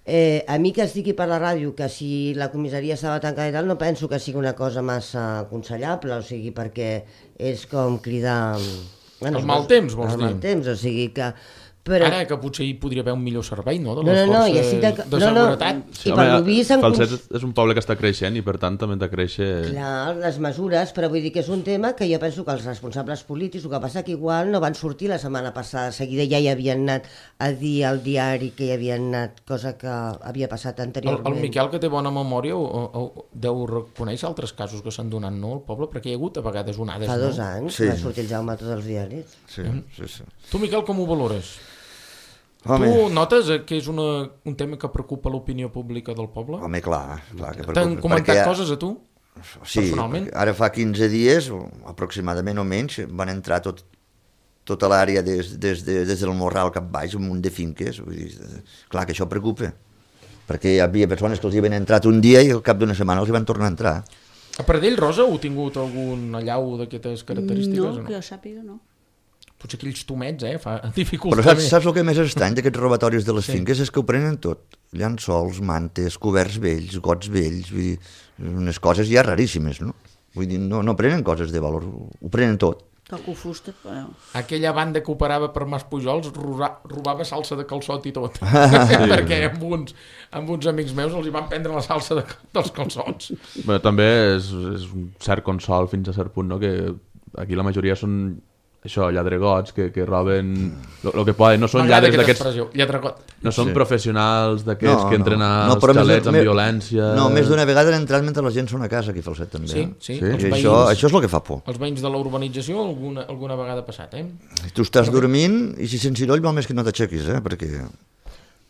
Eh, a mi que es digui per la ràdio que si la comissaria estava tancada i tal, no penso que sigui una cosa massa aconsellable, o sigui, perquè és com cridar... El mal temps, vols el dir? El mal temps, o sigui que... Però... Ara que potser hi podria haver un millor servei, no?, de No, les no, no, i forces així de- de no, no. seguretat. I per lo vist en Falset cons- és un poble que està creixent i per tant també ha de créixer... Clar, les mesures, però vull dir que és un tema que jo penso que els responsables polítics, el que passa que igual no van sortir la setmana passada, de seguida ja hi havien anat a dir al diari que hi havien anat, cosa que havia passat El, anteriorment. el Miquel, que té bona memòria, o, o, deu reconèixer altres casos que s'han donat, no?, al poble, perquè hi ha hagut a vegades onades, Fa dos no? anys Sí. va sortir el Jaume a tots els diaris. Sí, sí, sí. Tu, Miquel, com ho valores? Home, Tu notes eh, que és una, un tema que preocupa l'opinió pública del poble? home, clar, clar que T'han preocupa, comentat perquè- coses a tu? Sí, personalment? Ara fa quinze dies, aproximadament o menys, van entrar tot, tota l'àrea des, des, de, des del Morral cap baix, un munt de finques. Vull dir, clar que això preocupa, perquè hi havia persones que els hi havien entrat un dia i al cap d'una setmana els hi van tornar a entrar. A Pradell, Rosa, heu tingut algun allau d'aquestes característiques? No, o no? que jo sàpiga, no. Potser aquells tomets, eh? Fa dificultat. Però saps, saps el que més estrany d'aquests robatoris de les Sí. finques? És que ho prenen tot. Llençols, mantes, coberts vells, gots vells, vull dir, unes coses ja raríssimes, no? Vull dir, no, no prenen coses de valor, ho prenen tot. Toco fusta, però... Aquella banda que operava per Mas Pujols roba, robava salsa de calçot i tot. Perquè amb uns, amb uns amics meus els hi van prendre la salsa de, dels calçots. Bé, també és, és un cert consol fins a cert punt, no? Que aquí la majoria són això, lladregots que, que roben el que poden, no són M'agrada lladres aquesta d'aquests, expressió, lladregot. no són Sí. professionals d'aquests que entren als però més xalets de- amb me- violència. No, més d'una vegada han entrat mentre la gent són a casa, aquí Falset també. Sí, eh? sí, Sí. els I veïns, això, això és el que fa por. els veïns de la urbanització alguna, alguna vegada ha passat, eh? Tu estàs dormint i si sents ciroll val més que no t'aixequis, eh? Perquè...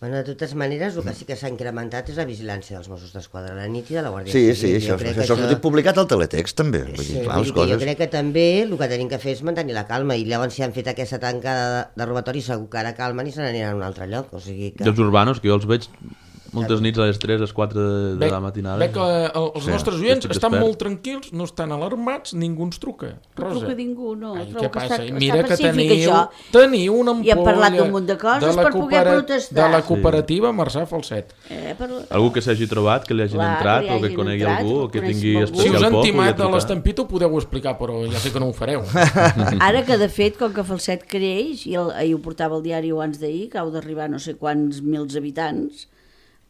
Bueno, de totes maneres, el que sí que s'ha incrementat és la vigilància dels Mossos d'Esquadra a la nit i de la Guàrdia Sí, Civil. sí, això, Jo crec això, que això ha sortit publicat al teletext també. Vull Sí, dir, clar, vull les dir que jo coses... crec que també el que tenim que fer és mantenir la calma i llavors si han fet aquesta tancada de, de robatori segur que ara calmen i se n'aniran a un altre lloc, o sigui que... I els urbanos, que jo els veig moltes nits a les tres, a les quatre de, de Veig, la matinada. veig que eh, els Sí, nostres oients estic estan despert. molt tranquils, no estan alarmats, ningú ens truca. No Rosa. truca ningú, no. Ai, Trobo què que passa? està, Mira està que pacífic, teniu, això. teniu una ampolla I hem parlat d'un munt de coses de la per poder coopera- protestar. de la cooperativa Marçà Falset. Eh, per... Algú que s'hagi trobat, que li hagin Clar, entrat, que li o que hagin conegui entrat, algú, o o que coneixi tingui algú. Si especial us han por, timat pugui a trucar. l'estampit ho podeu explicar, però ja sé que no ho fareu. Ara que, de fet, com que Falset creix, i el, ahir ho portava el diari abans d'ahir, que heu d'arribar no sé quants mils habitants,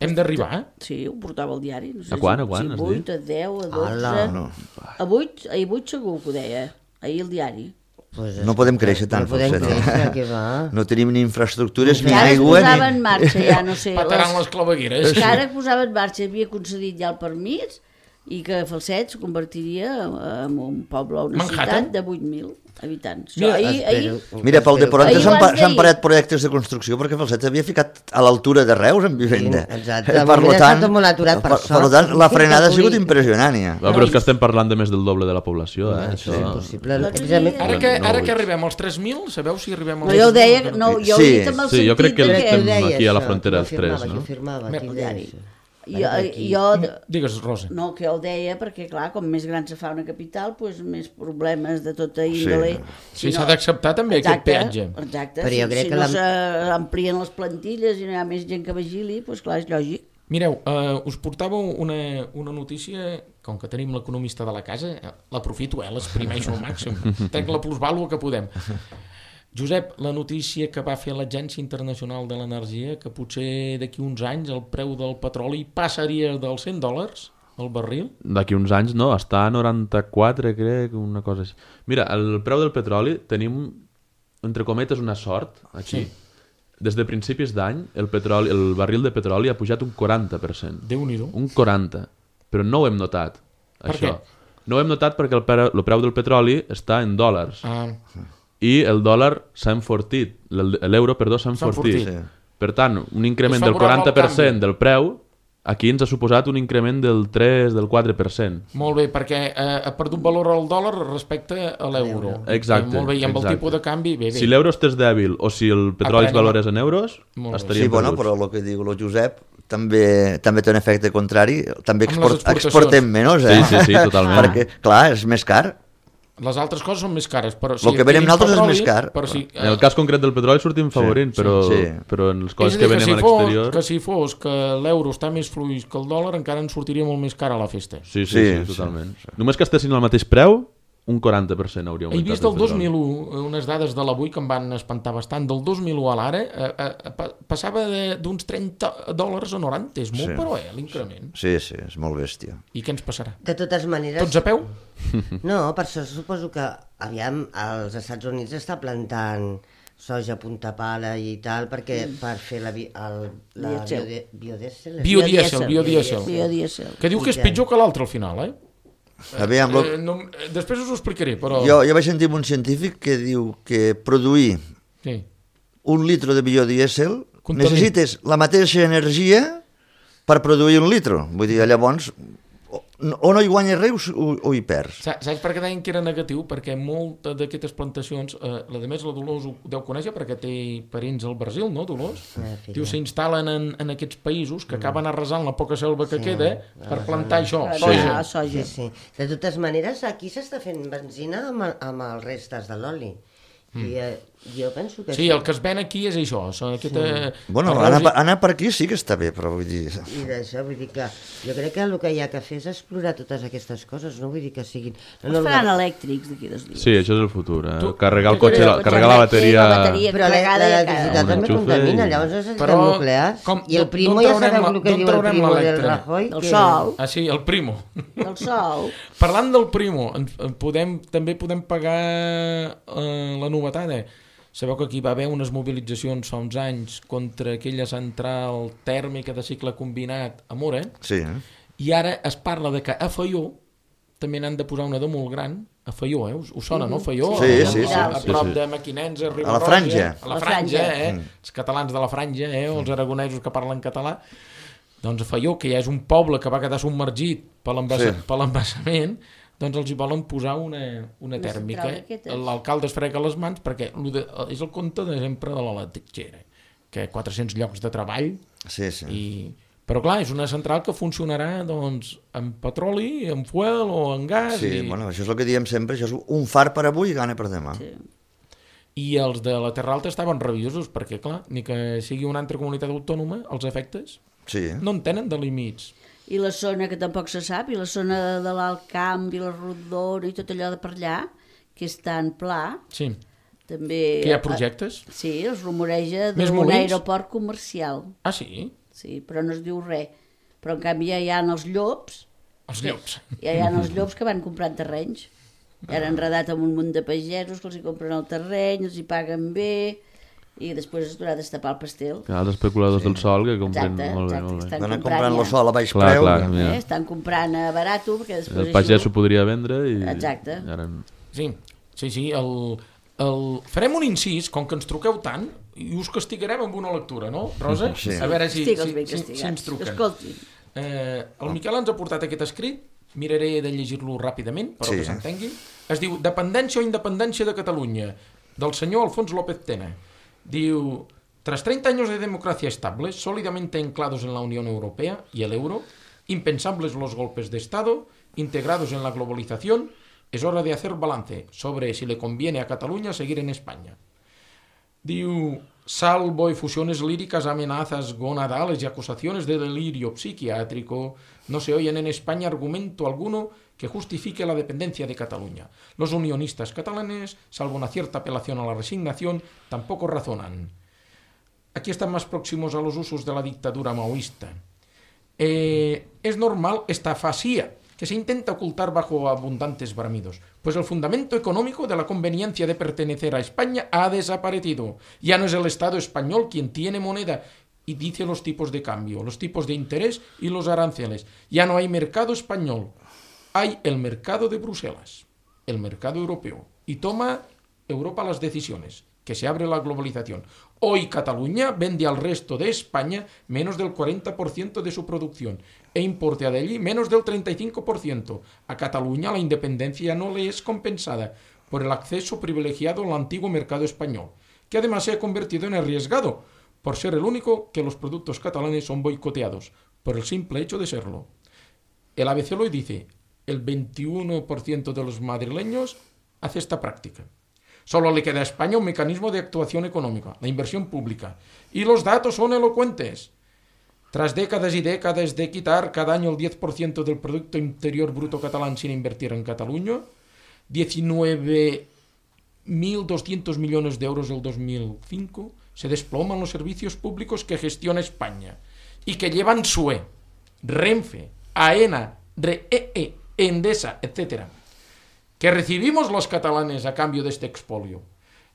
Hem d'arribar, eh? sí, ho portava el diari. No sé A quan, si, a quan, si has vuit, dit? a deu, a dotze... Hola. No. A vuit, ahir vuit segur que ho deia, ahir el diari. Pues No podem créixer tant, No podem Falset. créixer, que va. No tenim ni infraestructures, ni Que ara es aigua, posava en ni... marxa, ja no sé... Pataran les clavegueres. Que ara es posava en marxa, havia concedit ja el permís i que Falset es convertiria en un poble o una Manhattan. ciutat de vuit mil habitants. Mira, Això, ahir, ahir, Espero- Mira, pel de espero- Poranta Ahir s'han ho pa- has s'han dit. parat projectes de construcció perquè Falset havia ficat a l'altura de Reus en vivenda. Sí, exacte. Eh, De Per moment lo està tant, tot molt aturat, per per, per lo sort. tant, la Fins frenada ha que sigut pugui- impressionant, ja. Va, però és que estem parlant de més del doble de la població, eh? Això Això... és impossible. L'altre Precisament- dia- Ara que, No, ara no que vull. arribem als tres mil, sabeu si arribem als no, jo ho tres mil? deia, no, jo ho Sí, he dit amb el sí, jo crec sentit que de estem Ho deia aquí a la això, frontera ho dels tres, afirmava, no? Ho afirmava, Mer- qui deia això? Jo, Aquí. jo, Digues, Rosa. no, que jo ho deia perquè, clar, com més gran se fa una capital, doncs més problemes de tota índole. Sí, Si s'ha d'acceptar també aquest peatge. Exacte, Però jo si, crec si que no la- s'amplien les plantilles i no hi ha més gent que vigili, doncs clar, és lògic. Mireu, uh, us portava una, una notícia, com que tenim l'economista de la casa, eh, l'aprofito, eh, l'exprimeixo al màxim, trec la plusvàlua que podem. Josep, la notícia que va fer l'Agència Internacional de l'Energia, que potser d'aquí uns anys el preu del petroli passaria dels cent dòlars al barril? D'aquí uns anys, no, està a noranta-quatre, crec, una cosa així. Mira, el preu del petroli tenim, entre cometes, una sort, aquí. Sí. Des de principis d'any, el, petroli, el barril de petroli ha pujat un quaranta per cent. Déu-n'hi-do. Un quaranta. Però no ho hem notat, Per això. què? No ho hem notat perquè el, preu, el preu del petroli està en dòlars. Ah, I el dòlar s'ha enfortit, l'el- l'euro, perdó, s'ha S'ha enfortit. enfortit. Per tant, un increment És del favorable al quaranta per cent canvi. del preu, aquí ens ha suposat un increment del tres, del quatre per cent. molt bé, perquè eh, ha perdut valor el dòlar respecte a l'euro. Exacte, Eh, molt bé, i amb exacte. el tipus de canvi, bé, bé. Si l'euro estés dèbil o si el petroli es Aprenem. valorés en euros, Molt bé. estaríem Sí, bueno, perduts. però el que diu el Josep també també té un efecte contrari. També Amb les export, exportacions. exportem menys, eh? Sí, sí, sí, totalment. Perquè, clar, és més car. Les altres coses són més cares, però si Lo que venem adquirim nosaltres és petroli, més car. Però si, En el cas concret del petroli sortim favorint, però, sí. però en les és coses a que dir, que venem si, a fos, l'exterior... que si fos que l'euro està més fluix que el dòlar, encara ens sortiria molt més cara la festa. Sí, sí, Sí, sí, sí, totalment. Només que estessin al mateix preu, un quaranta per cent hauria He augmentat. vist el dos petroli. mil u unes dades de l'avui que em van espantar bastant. Del dos mil u a l'ara eh, eh, pa- passava de- d'uns trenta dòlars a noranta. És molt, Sí. però, eh, l'increment. Sí, sí, és molt bèstia. I què ens passarà? De totes maneres... Tots a peu? No, per això suposo que, aviam, als Estats Units està plantant soja a punta pala i tal, perquè per fer la, bi- el, la Dièsel. biode, biodièsel... Biodièsel, biodièsel. Biodièsel. Que diu que és pitjor que l'altre al final, eh? Aviam, lo... eh no, eh, després us ho explicaré, però... jo, jo vaig sentir un científic que diu que produir Sí. un litro de biodièsel Contamina. necessites la mateixa energia per produir un litro. Vull dir, llavors, o, o no hi guanyes res o, o hi perds. Saps per què deien que era negatiu? Perquè moltes d'aquestes plantacions, eh, la de més la Dolors ho deu conèixer perquè té parents al Brasil, no, Dolors? Ah, Diu, s'instal·len en, en aquests països que acaben arrasant la poca selva que queda per plantar això, Per soja. anar a soja. Sí, sí. De totes maneres, aquí s'està fent benzina amb, amb els restes de l'oli. I eh, jo penso que Sí, el que es ven aquí és això. Són aquesta... Bueno, anar, anar per aquí sí que està bé, però vull dir... I d'això, vull dir que jo crec que el que hi ha que fer és explorar totes aquestes coses, no vull dir que siguin... No, Els faran elèctrics d'aquí dos dies. Sí, això és el futur. Eh? Tu- Carregar el tu- cotxe, tu- la, tu- carregar la tu- bateria... la bateria. Però Carregada i l'electricitat cada- també Enxufe contamina, i- llavors necessitem Però nuclears. com- I el d'on Primo ja traurem sabeu la- el que d'on diu el traurem Primo del l'electre? Rajoy. Del que- sol, Ah, sí, el Primo. del sol. Parlant del Primo, en, en podem, també podem pagar eh, la novetada. Sabeu que aquí va haver unes mobilitzacions fa uns anys contra aquella central tèrmica de cicle combinat a Mora, Sí, eh? i ara es parla de que a Faió també n'han de posar una de molt gran, a Faió, eh? Us, us sona, no? Faió? Sí, a, sí, sí. A, a Sí, prop sí. de Mequinensa, A la Riba-roja, Franja. A la La Franja, Franja. eh? Els catalans de la Franja, eh? O els aragonesos que parlen català. Doncs a Faió, que ja és un poble que va quedar submergit per l'embassa- Sí. per l'embassament, doncs els hi volen posar una, una Una tèrmica. central d'aquestes. L'alcalde es frega les mans perquè lo de, és el compte de sempre de l'electricera, que quatre-cents llocs de treball, Sí, sí. i... però clar, és una central que funcionarà doncs, amb petroli, amb fuel o amb gas. Sí, i... bueno, això és el que diem sempre, això és un far per avui i gana per demà. Sí. I els de la Terra Alta estaven rabiosos perquè, clar, ni que sigui una altra comunitat autònoma, els efectes Sí, no en tenen de límits. I la zona que tampoc se sap, i la zona de, de l'Alt Camp i la Rodona i tot allò de per allà, que és tan pla, Sí, també... que hi ha projectes. Sí, es rumoreja Més d'un molins? aeroport comercial. Ah, sí? Sí, però no es diu res. Però en canvi ja hi ha els llops, Els llops. ja hi ha els llops que van comprant terrenys. I han enredat amb un munt de pagesos que els hi compren el terreny, els hi paguen bé, i després es durà destapar el pastel. Els especuladors del sol que compren Exacte, molt bé, exacte, molt bé. estan van a comprant comprant ja. el sol a baix Clar, preu. clar, que- mira. Eh? Estan comprant a barato, perquè després El pagès això... ho podria vendre i... Exacte. i ara... Sí, sí, sí. El, el... Farem un incís, com que ens truqueu tant, i us castigarem amb una lectura, no, Rosa? Sí. A veure si, Estigues si, ben si, si castigats. ens truquen. Escolti, Eh, el Miquel ens ha portat aquest escrit, miraré de llegir-lo ràpidament, però Sí. que s'entengui. Es diu Dependència o independència de Catalunya, del senyor Alfons López Tena. Diu, tras treinta años de democracia estable, sólidamente anclados en la Unión Europea y el euro, impensables los golpes de Estado, integrados en la globalización, es hora de hacer balance sobre si le conviene a Cataluña seguir en España. Diu, salvo efusiones líricas, amenazas gonadales y acusaciones de delirio psiquiátrico, no se oyen en España argumento alguno que justifique la dependencia de Cataluña. Los unionistas catalanes, salvo una cierta apelación a la resignación, tampoco razonan. Aquí están más próximos a los usos de la dictadura maoísta. Eh, es normal esta fasía que se intenta ocultar bajo abundantes bramidos, pues el fundamento económico de la conveniencia de pertenecer a España ha desaparecido. Ya no es el Estado español quien tiene moneda y dice los tipos de cambio, los tipos de interés y los aranceles. Ya no hay mercado español, hay el mercado de Bruselas, el mercado europeo, y toma Europa las decisiones, que se abre la globalización. Hoy Cataluña vende al resto de España menos del cuarenta por ciento de su producción e importa de allí menos del treinta y cinco por ciento. A Cataluña la independencia no le es compensada por el acceso privilegiado al antiguo mercado español, que además se ha convertido en arriesgado por ser el único que los productos catalanes son boicoteados, por el simple hecho de serlo. El A B C lo dice, el veintiuno por ciento de los madrileños hace esta práctica. Solo le queda a España un mecanismo de actuación económica, la inversión pública. Y los datos son elocuentes. Tras décadas y décadas de quitar cada año el diez por ciento del Producto Interior Bruto catalán sin invertir en Cataluña, diecinueve mil doscientos millones de euros del dos mil cinco, se desploman los servicios públicos que gestiona España y que llevan S U E, Renfe, AENA, R E E, Endesa, etcétera. ¿Qué recibimos los catalanes a cambio de este expolio?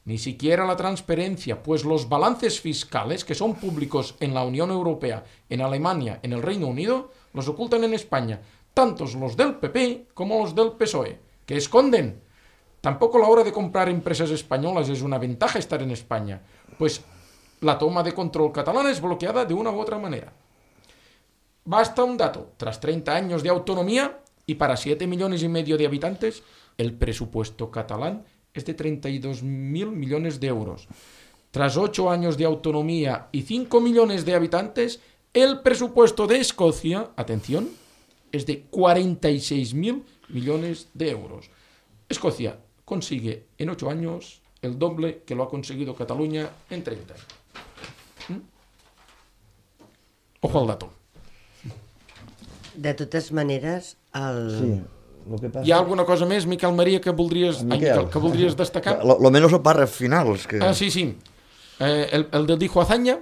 Ni siquiera la transparencia, pues los balances fiscales, que son públicos en la Unión Europea, en Alemania, en el Reino Unido, los ocultan en España, tantos los del P P como los del P S O E, que esconden. Tampoco la hora de comprar empresas españolas es una ventaja estar en España, pues la toma de control catalana es bloqueada de una u otra manera. Basta un dato. Tras treinta años de autonomía y para siete millones y medio de habitantes, el presupuesto catalán es de treinta y dos mil millones de euros. Tras ocho años de autonomía y cinco millones de habitantes, el presupuesto de Escocia, atención, es de cuarenta y seis mil millones de euros. Escocia consigue en ocho años el doble que lo ha conseguido Cataluña en treinta. ¿Mm? Ojo al dato. De totes maneres, el... Sí. Lo que pasa... Hi ha alguna cosa més, Miquel Maria, que voldries, ai, Miquel, que voldries destacar? Lo, lo menos el párraf final. És que... Ah, sí, sí. Eh, el, el de dijo Azaña?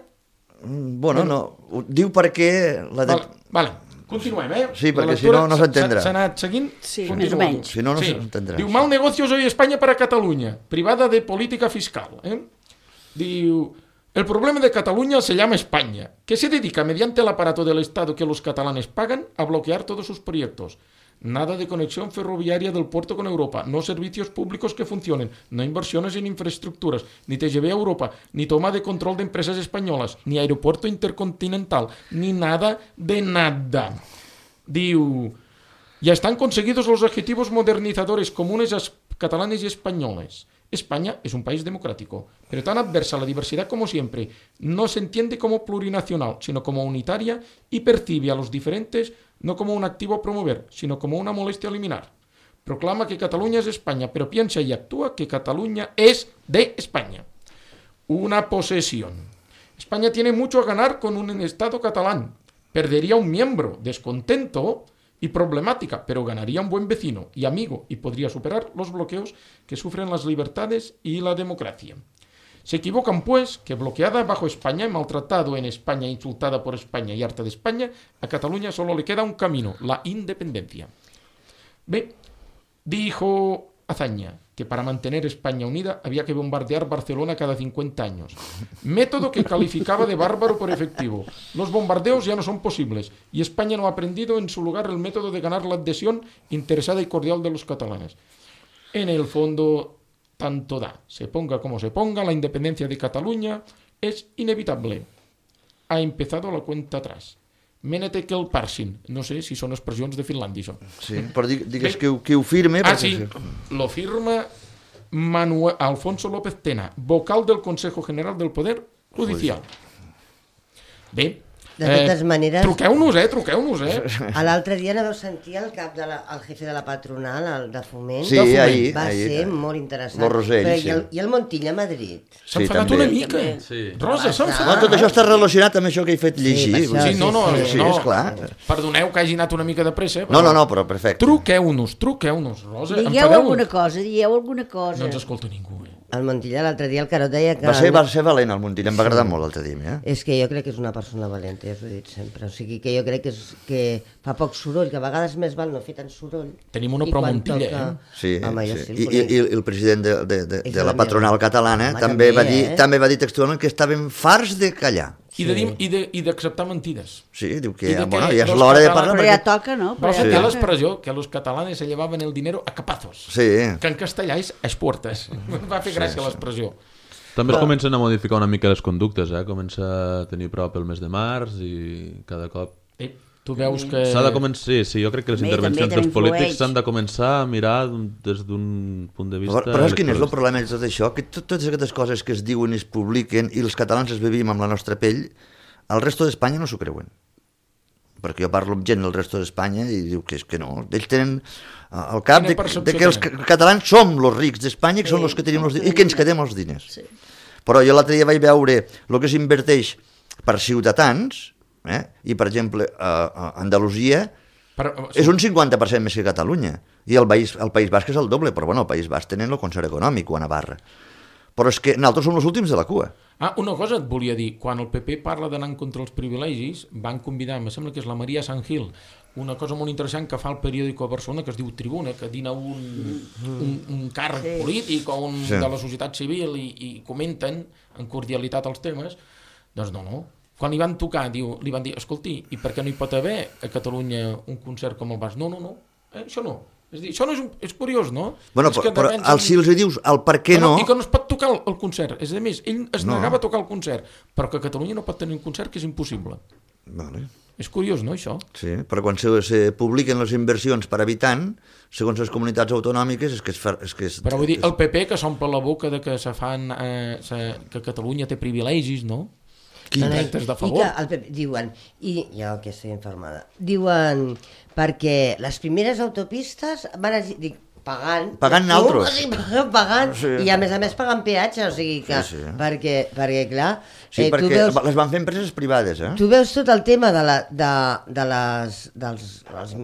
Mm, Bueno, no. Ho diu perquè... La de... Vale, vale. Continuem, eh? Sí, La perquè si lectura no, no s'entendrà. S'ha anat seguint? Sí, Continuo. més o menys. Si no, no Sí. s'entendrà. Diu, mal negocios hoy España para Cataluña, privada de política fiscal. ¿eh? Diu, el problema de Cataluña se llama España, que se dedica mediante el aparato del Estado que los catalanes pagan a bloquear todos sus proyectos. Nada de conexión ferroviaria del puerto con Europa, no servicios públicos que funcionen, no inversiones en infraestructuras, ni T G V a Europa, ni toma de control de empresas españolas, ni aeropuerto intercontinental, ni nada de nada. Diu, ya están conseguidos los objetivos modernizadores comunes a catalanes y españoles. España es un país democrático, pero tan adversa a la diversidad como siempre. No se entiende como plurinacional, sino como unitaria y percibe a los diferentes no como un activo a promover, sino como una molestia a eliminar. Proclama que Cataluña es España, pero piensa y actúa que Cataluña es de España. Una posesión. España tiene mucho a ganar con un Estado catalán. Perdería un miembro, descontento y problemática, pero ganaría un buen vecino y amigo y podría superar los bloqueos que sufren las libertades y la democracia. Se equivocan, pues, que bloqueada bajo España, maltratado en España, insultada por España y harta de España, a Cataluña solo le queda un camino, la independencia. Bé, dijo Azaña que para mantener España unida había que bombardear Barcelona cada cincuenta años. Método que calificaba de bárbaro por efectivo. Los bombardeos ya no son posibles y España no ha aprendido en su lugar el método de ganar la adhesión interesada y cordial de los catalanes. En el fondo, tanto da. Se ponga como se ponga, la independencia de Cataluña es inevitable. Ha empezado la cuenta atrás. Menete que el parsin. No sé si són expressions de Finlàndia, això. Sí, però digues que, que ho firme... Ah, perquè... sí. Lo firma Manuel Alfonso López Tena, vocal del Consejo General del Poder Judicial. Bé, de totes eh, maneres... truqueu-nos, eh? Truqueu-nos, eh? L'altre dia no vau sentir el cap de la, el jefe de la patronal, el de Foment? Sí, de Foment. ahir. Va ahir, ser ahir. molt interessant. Lo Rosell, Però, sí. i, el, I el Montilla a Madrid? S'ha Sí, enfadat també. una mica. Sí. Rosa, s'ha Ah, No, enfadat. tot això està relacionat amb això que he fet llegir. per això, Sí, no, no, sí, sí, no. esclar. Perdoneu que hagi anat una mica de pressa. No, no, no, però perfecte. Truqueu-nos, truqueu-nos, Rosa. Digueu enfadeu-vos. alguna cosa, dieu alguna cosa. No ens escolta ningú, eh? El Montilla l'altre dia, el Carot deia que... Va ser, va ser valent el Montilla, em va agradar molt l'altre dia. Eh? És que jo crec que és una persona valenta, ja us ho he dit sempre. O sigui, que jo crec que, és, que fa poc soroll, que a vegades més val no fer tant soroll. Tenim una I quan pro-Montilla, toca- eh? Sí, Home, jo sí. sí I, el i, conec. i el president de, de, de, És de la la patronal meva. catalana Home, també, també, va dir, eh? també va dir textualment que estaven farts de callar. I de dir- i de- i d'acceptar mentides. Sí, diu que, I de ja, bueno, que ja és los l'hora de catalans- parlar. Però ja Perquè... toca, no? Però Vau ja sentir toca. l'expressió que los catalanes se llevaven el dinero a capazos. Sí, Que en castellà és a esportes. Em va fer gràcia l'expressió. També es comencen a modificar una mica les conductes, eh? Comença a tenir prop el mes de març i cada cop... Eh, tu veus que... S'ha de començar... Sí, sí, jo crec que les També, intervencions també, que dels polítics influeix. s'han de començar a mirar d'un- des d'un punt de vista... però, però és quin és el electoralista. problema de tot això? Que tot, totes aquestes coses que es diuen i es publiquen i els catalans es vivim amb la nostra pell, el resto d'Espanya no s'ho creuen. Perquè jo parlo amb gent del resto d'Espanya i diu que és que no. Ells tenen al cap Quina de, percepció de que els tenen? catalans som els rics d'Espanya, que Sí, són els que tenim els els diners, i que ens quedem els diners. Sí. Però jo l'altre dia vaig veure el que s'inverteix per ciutadans, eh? I per exemple a, a Andalusia Però, és un cinquanta per cent més que Catalunya, i el País, el País Basc és el doble, però bueno, el País Basc tenen el concert econòmic o a Navarra. Però és que nosaltres som els últims de la cua. Ah, una cosa et volia dir. Quan el P P parla d'anar en contra els privilegis, van convidar, em sembla que és la Maria Sant Gil, una cosa molt interessant que fa el periòdico a Barcelona, que es diu Tribuna, que dina un, un, un càrrec Sí. polític o un Sí. de la societat civil i, i comenten en cordialitat els temes. Doncs no, no. Quan li van tocar, diu, li van dir, escolti, i per què no hi pot haver a Catalunya un concert com el Basc? No, no, no, eh, això no. És dir, això no és, un, és curiós, no? Bueno, és però, però defensen- al, si els hi dius el per què no... I que no es pot tocar el, el concert. És a més, ell es No. negava a tocar el concert, però que a Catalunya no pot tenir un concert, que és impossible. Vale. És curiós, no, això? Sí, però quan se, se publiquen les inversions per habitant, segons les comunitats autonòmiques, és que és... Fer, és que és però vull dir, el P P que s'omple la boca de que se fan, eh, se, que Catalunya té privilegis, no? No, no, Contractes de i favor. que el P P, diuen, i jo que estic informada, diuen perquè les primeres autopistes van a, dic, pagant... Pagant tu, naltros. O sigui, pagant, pagant Sí. i a més a més pagant peatge, o sigui que... Sí, sí. Perquè, perquè clar... Sí, eh, tu perquè veus, les van fer empreses privades, eh? tu veus tot el tema de, la, de, de les... dels... Els,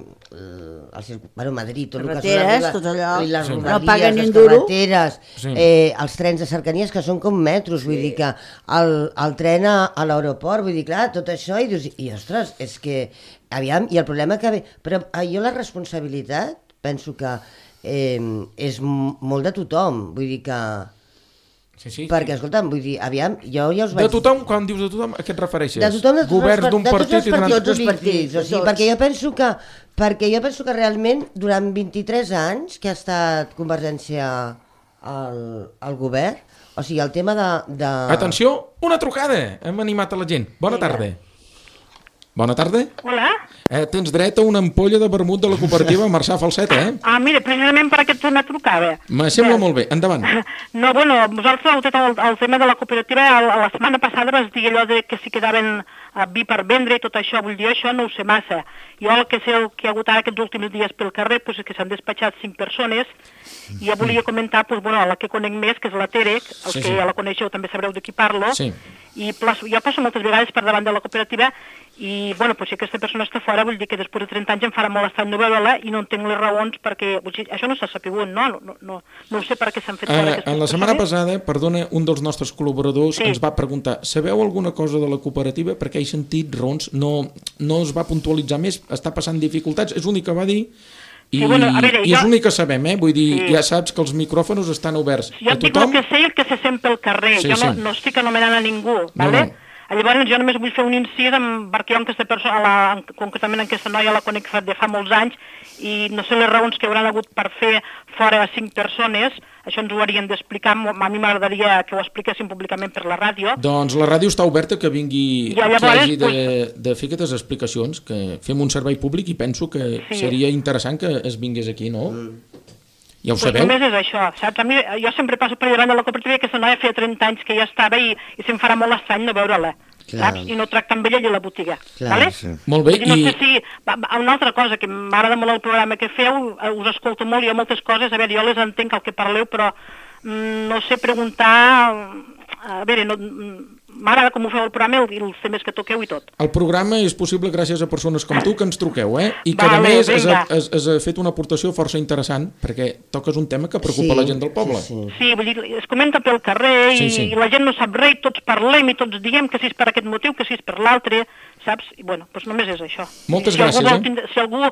els, bueno, Madrid, tot el que són Carreteres, les, tot allò. i les Sí. rodalies, No paguen ni les un duro. carreteres, Sí. eh, els trens de cercanies que són com metros, vull dir que el, el tren a, a l'aeroport, vull dir, clar, tot això, i dius, i ostres, és que, aviam, i el problema que ve... Però eh, jo la responsabilitat, penso que eh, és m- molt de tothom, vull dir que... Sí, sí. Perquè, escolta'm, vull dir, aviam, jo ja us vaig... De tothom, quan dius de tothom, a què et refereixes? De tothom, de tots Governs els, d'un de tots partit els i d'un partits, altre. tots els partits, o sigui, Tots. perquè jo penso que perquè jo penso que realment durant vint-i-tres anys que ha estat Convergència al, al govern, o sigui, el tema de... de... Atenció, una trucada! Hem animat a la gent. Bona Vinga. tarda. Bona tarda. Hola. Eh, tens dret a una ampolla de vermut de la cooperativa Marçà Falset, eh? Ah, mira, precisament per aquest tema trucava. Me sembla molt bé. Endavant. No, bueno, vosaltres heu tret el, el tema de la cooperativa, el, la setmana passada vas dir allò de que si quedaven uh, vi per vendre i tot això, vull dir, això no ho sé massa. Jo el que sé, el que hi ha hagut ara aquests últims dies pel carrer, pues, és que s'han despatxat cinc persones, i jo volia comentar, pues, bueno, la que conec més, que és la Terec, els Sí, que sí. ja la coneixeu també sabreu de qui parlo, Sí. i plaço, jo passo moltes vegades per davant de la cooperativa i, bueno, pues, si aquesta persona està fora, vull dir que després de trenta anys em farà molt estrany no veure-la i no entenc les raons perquè... Vull dir, això no s'ha sapigut, no? No, no, no, no ho sé per què s'han fet fora Eh, aquestes en la setmana persones. passada, perdona, un dels nostres col·laboradors Sí. ens va preguntar, sabeu alguna cosa de la cooperativa? Perquè he sentit raons, no, no es va puntualitzar més, està passant dificultats, és l'únic que va dir, i, Sí, bueno, a veure, i és jo- l'únic que sabem, eh? Vull dir, Sí. ja saps que els micròfons estan oberts Jo a et dic tothom. el que sé i el que se sent pel carrer. Sí, jo no, sí. no estic anomenant a ningú, vale? no. Llavors jo només vull fer un incís amb, perquè jo en aquesta persona, la, en, concretament en aquesta noia la conec fa, de fa molts anys i no sé les raons que hauran hagut per fer fora a cinc persones, això ens ho haurien d'explicar, a mi m'agradaria que ho expliquessin públicament per la ràdio. Doncs la ràdio està oberta que vingui, Ja, llavors, que hagi de, pues- de fer aquestes explicacions, que fem un servei públic i penso que Sí. seria interessant que es vingués aquí, no? Ja ho Pues sabeu? només és això, saps? A mi, jo sempre passo per davant de la cooperativa i aquesta noia feia trenta anys que ja estava i, i se'm farà molt estrany no veure-la, Clar. saps? I no tracta amb ella allà a la botiga, Clar, vale? sí. Molt bé, Vull dir, no i- sé si... va- va- Una altra cosa, que m'agrada molt el programa que feu, eh, us escolto molt, hi ha moltes coses, a veure, jo les entenc el que parleu, però mm, no sé preguntar... A veure, no, mm, m'agrada com ho feu el programa i els temes que toqueu i tot. El programa és possible gràcies a persones com tu que ens truqueu, eh? I que, a Vale, més, has, vinga. has, has fet una aportació força interessant, perquè toques un tema que preocupa Sí, la gent del poble. sí, sí. Sí, vull dir, es comenta pel carrer i, Sí, sí. i la gent no sap res, i tots parlem i tots diem que si és per aquest motiu, que si és per l'altre, saps? I bueno, doncs només és això. Moltes I si gràcies, algú vol eh? tindre- Si algú,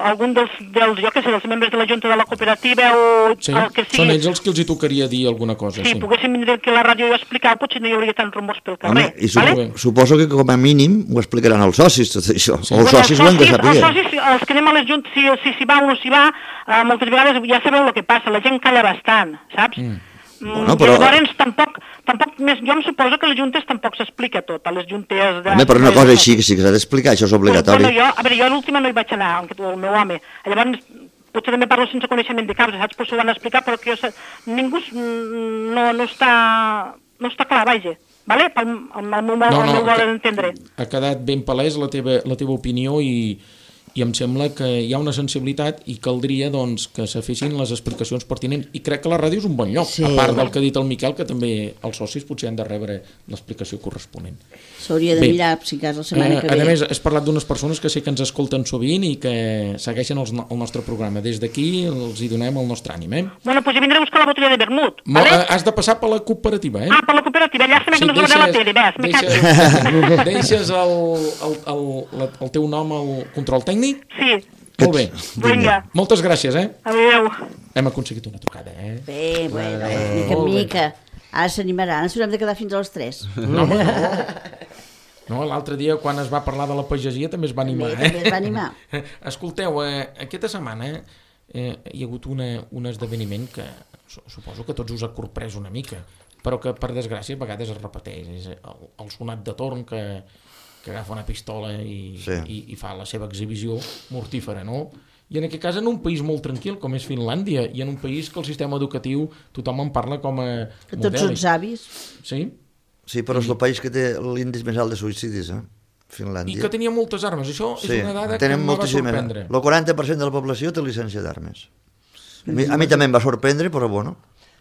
algun dels, dels, jo què sé, dels membres de la Junta de la Cooperativa o Sí, el que sigui, són ells els que els hi tocaria dir alguna cosa. si Sí. poguéssim vindre aquí a la ràdio i explicar, potser no hi hauria tants rumors pel Home, carrer. i supo, vale? vale? suposo que com a mínim ho explicaran els socis, tot això. Sí. O els Bueno, socis ho han de els saber. socis, els que anem a les juntes, si si s'hi va o no s'hi va, eh, moltes vegades ja sabeu el que passa, la gent calla bastant, saps? Mm. Bueno, però- Llavors, tampoc, tampoc més, jo em suposo que a les juntes tampoc s'explica tot, a les juntes... De... Home, però una cosa així, que sí que s'ha d'explicar, això és obligatori. Bueno, jo, a veure, jo l'última no hi vaig anar, el meu home. Llavors, potser també parlo sense coneixement de causa, saps? Potser ho van explicar, però que jo, sé- ningú s- no, no, està, no està clar, vaja. Vale? Pel, el, el meu, No, el no, meu modo que- d'entendre. Ha quedat ben palès la teva, la teva opinió i, i em sembla que hi ha una sensibilitat i caldria doncs, que se fessin les explicacions pertinents. I crec que la ràdio és un bon lloc, Sí. a part del que ha dit el Miquel, que també els socis potser han de rebre l'explicació corresponent. S'hauria de Bé. mirar, si cas, la setmana Eh, que a ve. més, has parlat d'unes persones que sé que ens escolten sovint i que segueixen els, no- el nostre programa. Des d'aquí els hi donem el nostre ànim. Eh? Bueno, doncs vindré a buscar la botella de vermut, Mo, vale? eh, has de passar per la cooperativa, eh? Ah, per la cooperativa, llàstima que no es veurà la tele, ves, me cago. deixes, deixes el, el, el, la- el teu nom al control tècnic? Sí, Molt bé. vinga, Moltes gràcies, eh? adéu. Hem aconseguit una trucada, eh? Bé, bueno, mica en Molt bé. mica. Ara s'animaran, ens haurem de quedar fins a les tres. No, home, no. No, l'altre dia, quan es va parlar de la pagesia, també es va animar, També, eh? també es va animar. Escolteu, eh, aquesta setmana eh, hi ha hagut una, un esdeveniment que su- suposo que tots us ha corprès una mica, però que, per desgràcia, a vegades es repeteix. És el, el sonat de torn que, que agafa una pistola i, Sí. i, i fa la seva exhibició mortífera, no? I en aquest cas en un país molt tranquil com és Finlàndia i en un país que el sistema educatiu tothom en parla com a Que tots són modèlic. savis. Sí? Sí, però és el país que té l'índex més alt de suïcidis, eh? I Finlàndia. que tenia moltes armes. Això és Sí, una dada que tenen em va moltíssimes. sorprendre. El quaranta per cent de la població té llicència d'armes. A mi, a mi també em va sorprendre, però bueno.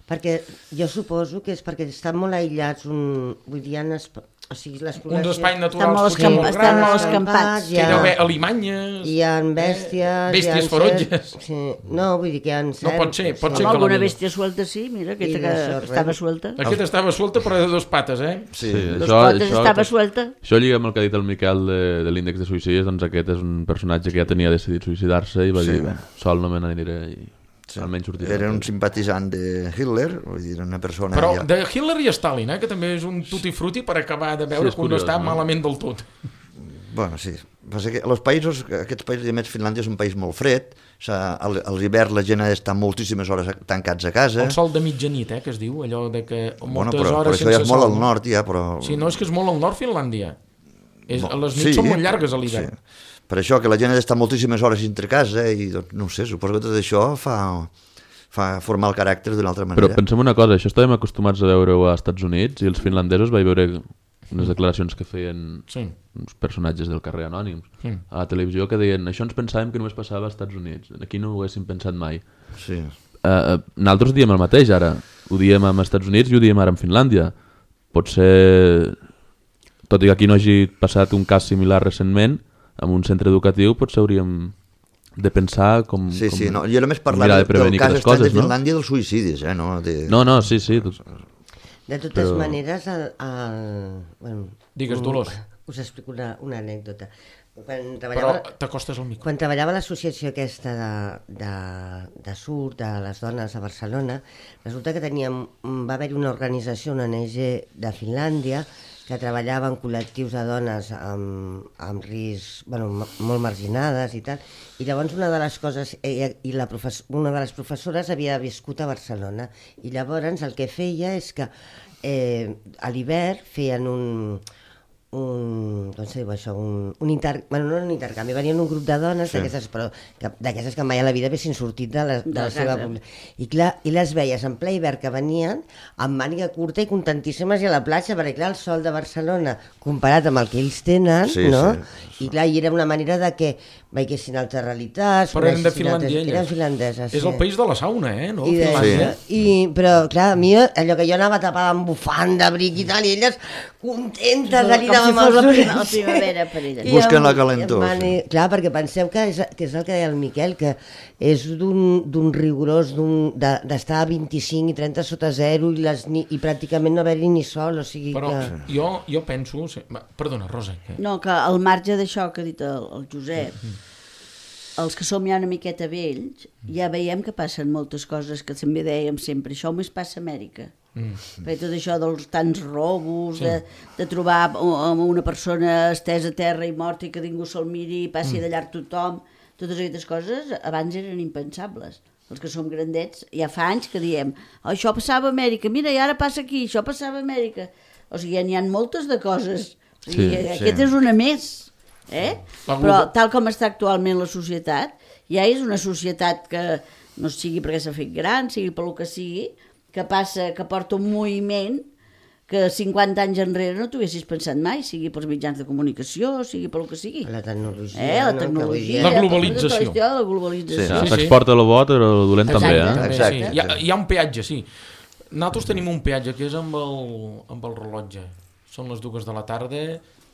Perquè jo suposo que és perquè estan molt aïllats, un, vull dir, en esp... o sigui, les Uns espais Estan naturals molt, potser escamp... molt estan molt grans, escampats. que hi ha haver alimanyes, Hi ha bèsties... eh, bèsties hi ha ferotges. Cert... Sí. No, vull dir que hi ha cert... No pot ser, pot Amb ser que la alguna millor. bèstia suelta, sí, mira, aquesta I que d'això, res. estava suelta. Aquesta estava suelta però de dos pates, eh? Sí. Sí, Dos això, potes això, estava suelta. això lliga amb el que ha dit el Miquel de, de l'índex de suïcidis, doncs aquest és un personatge que ja tenia decidit suïcidar-se i va Sí. dir, "Bé, sol no me n'aniré i Sí. almenys sortiré. Era un simpatitzant de Hitler, vull dir, una persona... Però ja... de Hitler i Stalin, eh, que també és un tutti frutti per acabar de veure Sí, és que un no curiós, està no? malament del tot. Bueno, sí. Passa que els països, aquests països, i a més Finlàndia és un país molt fred, o sigui, al- a l'hivern la gent ha d'estar moltíssimes hores tancats a casa. El sol de mitjanit, eh, que es diu, allò de que Bueno, moltes però, però hores això ja sense és molt sol. al nord, ja, però... Sí, no, és que és molt al nord Finlàndia. És, Bo- les nits són molt llargues a l'hivern. Sí. Per això que la gent ha d'estar moltíssimes hores dintre casa i, doncs, no ho sé, suposo que tot això fa, fa formar el caràcter d'una altra Però manera. pensem una cosa, això estàvem acostumats a veure-ho als Estats Units i els finlandesos vaig veure unes declaracions que feien Sí. uns personatges del carrer anònims Sí. a la televisió que deien això ens pensàvem que només passava als Estats Units, aquí no ho haguéssim pensat mai. Sí. Uh, nosaltres diem el mateix ara, ho diem als Estats Units i ho diem ara en Finlàndia. Potser, tot i que aquí no hagi passat un cas similar recentment, en un centre educatiu potser hauríem de pensar com, Sí, com sí, no. Jo només com parlava mirar de del prevenir cas aquestes estrany de coses, no? Finlàndia dels suïcidis, eh? No, de... No, no, sí, sí. Tot... De totes Però- maneres, el, el, bueno, Digues, un- Dolors. Us explico una, una anècdota. Quan Però treballava, t'acostes al micro. quan treballava a l'associació aquesta de, de, de surt de les dones a Barcelona, resulta que teníem, va haver-hi una organització, una O N G de Finlàndia, que treballava en col·lectius de dones amb, amb risc, bueno, ma- molt marginades i tal, i llavors una de les coses, ella, i la profes, una de les professores havia viscut a Barcelona, i llavors el que feia és que eh, a l'hivern feien un, un, doncs diu això, un, un inter, bueno, no un intercanvi, venien un grup de dones Sí. d'aquestes, però que, d'aquestes que mai a la vida haguessin sortit de la, de De la seva casa. població. I clar, i les veies en ple hivern que venien amb màniga curta i contentíssimes i a la platja, perquè clar, el sol de Barcelona comparat amb el que ells tenen, Sí, no? sí. I clar, i era una manera de que veiessin altres realitats, Però eren de coneixessin altres- Finlàndia, elles. eren finlandeses, És el país de la sauna, eh? No? i, de, Finlàndia. i, però clar, a mi allò que jo anava tapada amb bufanda, bric i tal, i elles contentes de Com si amb fos els la, ulls. prima, la primavera per ella. I Busquen amb- la calentor, amb mani- Clar, perquè penseu que és, que és el que deia el Miquel, que és d'un d'un rigorós d'un- de- d'estar a vint-i-cinc i trenta sota zero i, les, ni, i pràcticament no haver-hi ni sol, o sigui Però que... jo, jo penso... sí, va, Perdona, Rosa. Que... No, que al marge d'això que ha dit el, el Josep, els que som ja una miqueta vells, ja veiem que passen moltes coses que també dèiem sempre, això només passa a Amèrica. Mm. Perquè tot això dels tants robos, sí. de, de trobar uh, una persona estesa a terra i morta i que ningú se'l miri i passi mm. de llarg tothom, totes aquestes coses abans eren impensables. Els que som grandets, ja fa anys que diem oh, això passava a Amèrica, mira, i ara passa aquí, això passava a Amèrica. O sigui, n'hi ha moltes de coses. O sigui, Sí, aquest sí. és una més. Eh? La Però globa- tal com està actualment la societat, ja és una societat que no sigui perquè s'ha fet gran, sigui pel que sigui, que passa, que porta un moviment que cinquanta anys enrere no t'ho haguessis pensat mai, sigui pels mitjans de comunicació, sigui pel que sigui. La tecnologia, Eh, la no? Que tecnologia, avui dia- La tota globalització. la història de la globalització. Sí, Ja, sí. s'exporta el bo, però el dolent també, eh? També, Exacte, sí. Hi, ha, sí. hi ha un peatge, sí. Nosaltres tenim un peatge que és amb el, amb el rellotge. Són les dues de la tarda,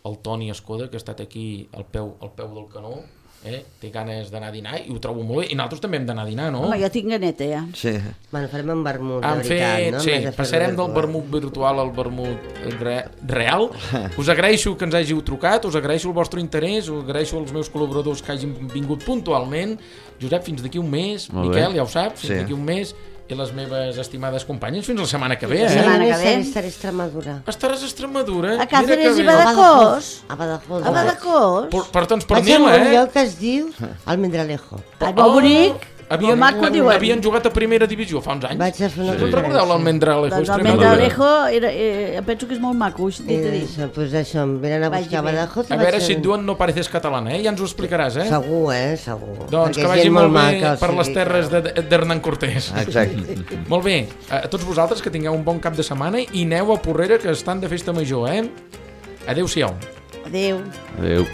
el Toni Escoda, que ha estat aquí al peu, al peu del canó, eh? té ganes d'anar a dinar i ho trobo molt bé. I nosaltres també hem d'anar a dinar, no? Home, jo tinc ganeta, ja. Sí. Bueno, farem un vermut, de Han veritat, fet, no? sí, En vez de fer passarem del virtual. vermut virtual al vermut re, real. Us agraeixo que ens hàgiu trucat, us agraeixo el vostre interès, us agraeixo als meus col·laboradors que hagin vingut puntualment. Josep, fins d'aquí un mes. Molt bé. Miquel, ja ho saps, fins Sí. d'aquí un mes. I les meves estimades companyes, fins la setmana que ve, La eh? setmana que Estaré, ve. estaré a Extremadura. Estaràs a Extremadura. A Càceres i Mira que bé. Badajoz. A Badajoz. A Badajoz. Per, per, doncs Vaig a pernil, un eh? lloc que es diu Almendralejo. Ai, molt bonic. havien, Maco diuen. havien jugat a primera divisió fa uns anys. Vaig a fer una Sí. Recordeu l'Almendralejo? Doncs el Extremadura? Mendalejo, era, eh, penso que és molt maco, així t'he de dir. Eso, pues això, em venen a Vagi buscar bé. Badajoz. i A vaig veure fer- si et diuen no pareces catalana, eh? Ja ens ho explicaràs, eh? Segur, eh? Segur. Doncs Perquè que és vagi gent molt bé maca, o per les sigui terres que- de- d'Hernán Cortés. Exacte. Molt bé, a tots vosaltres que tingueu un bon cap de setmana i aneu a Porrera, que estan de festa major, eh? Adéu-siau. Adéu. Adéu.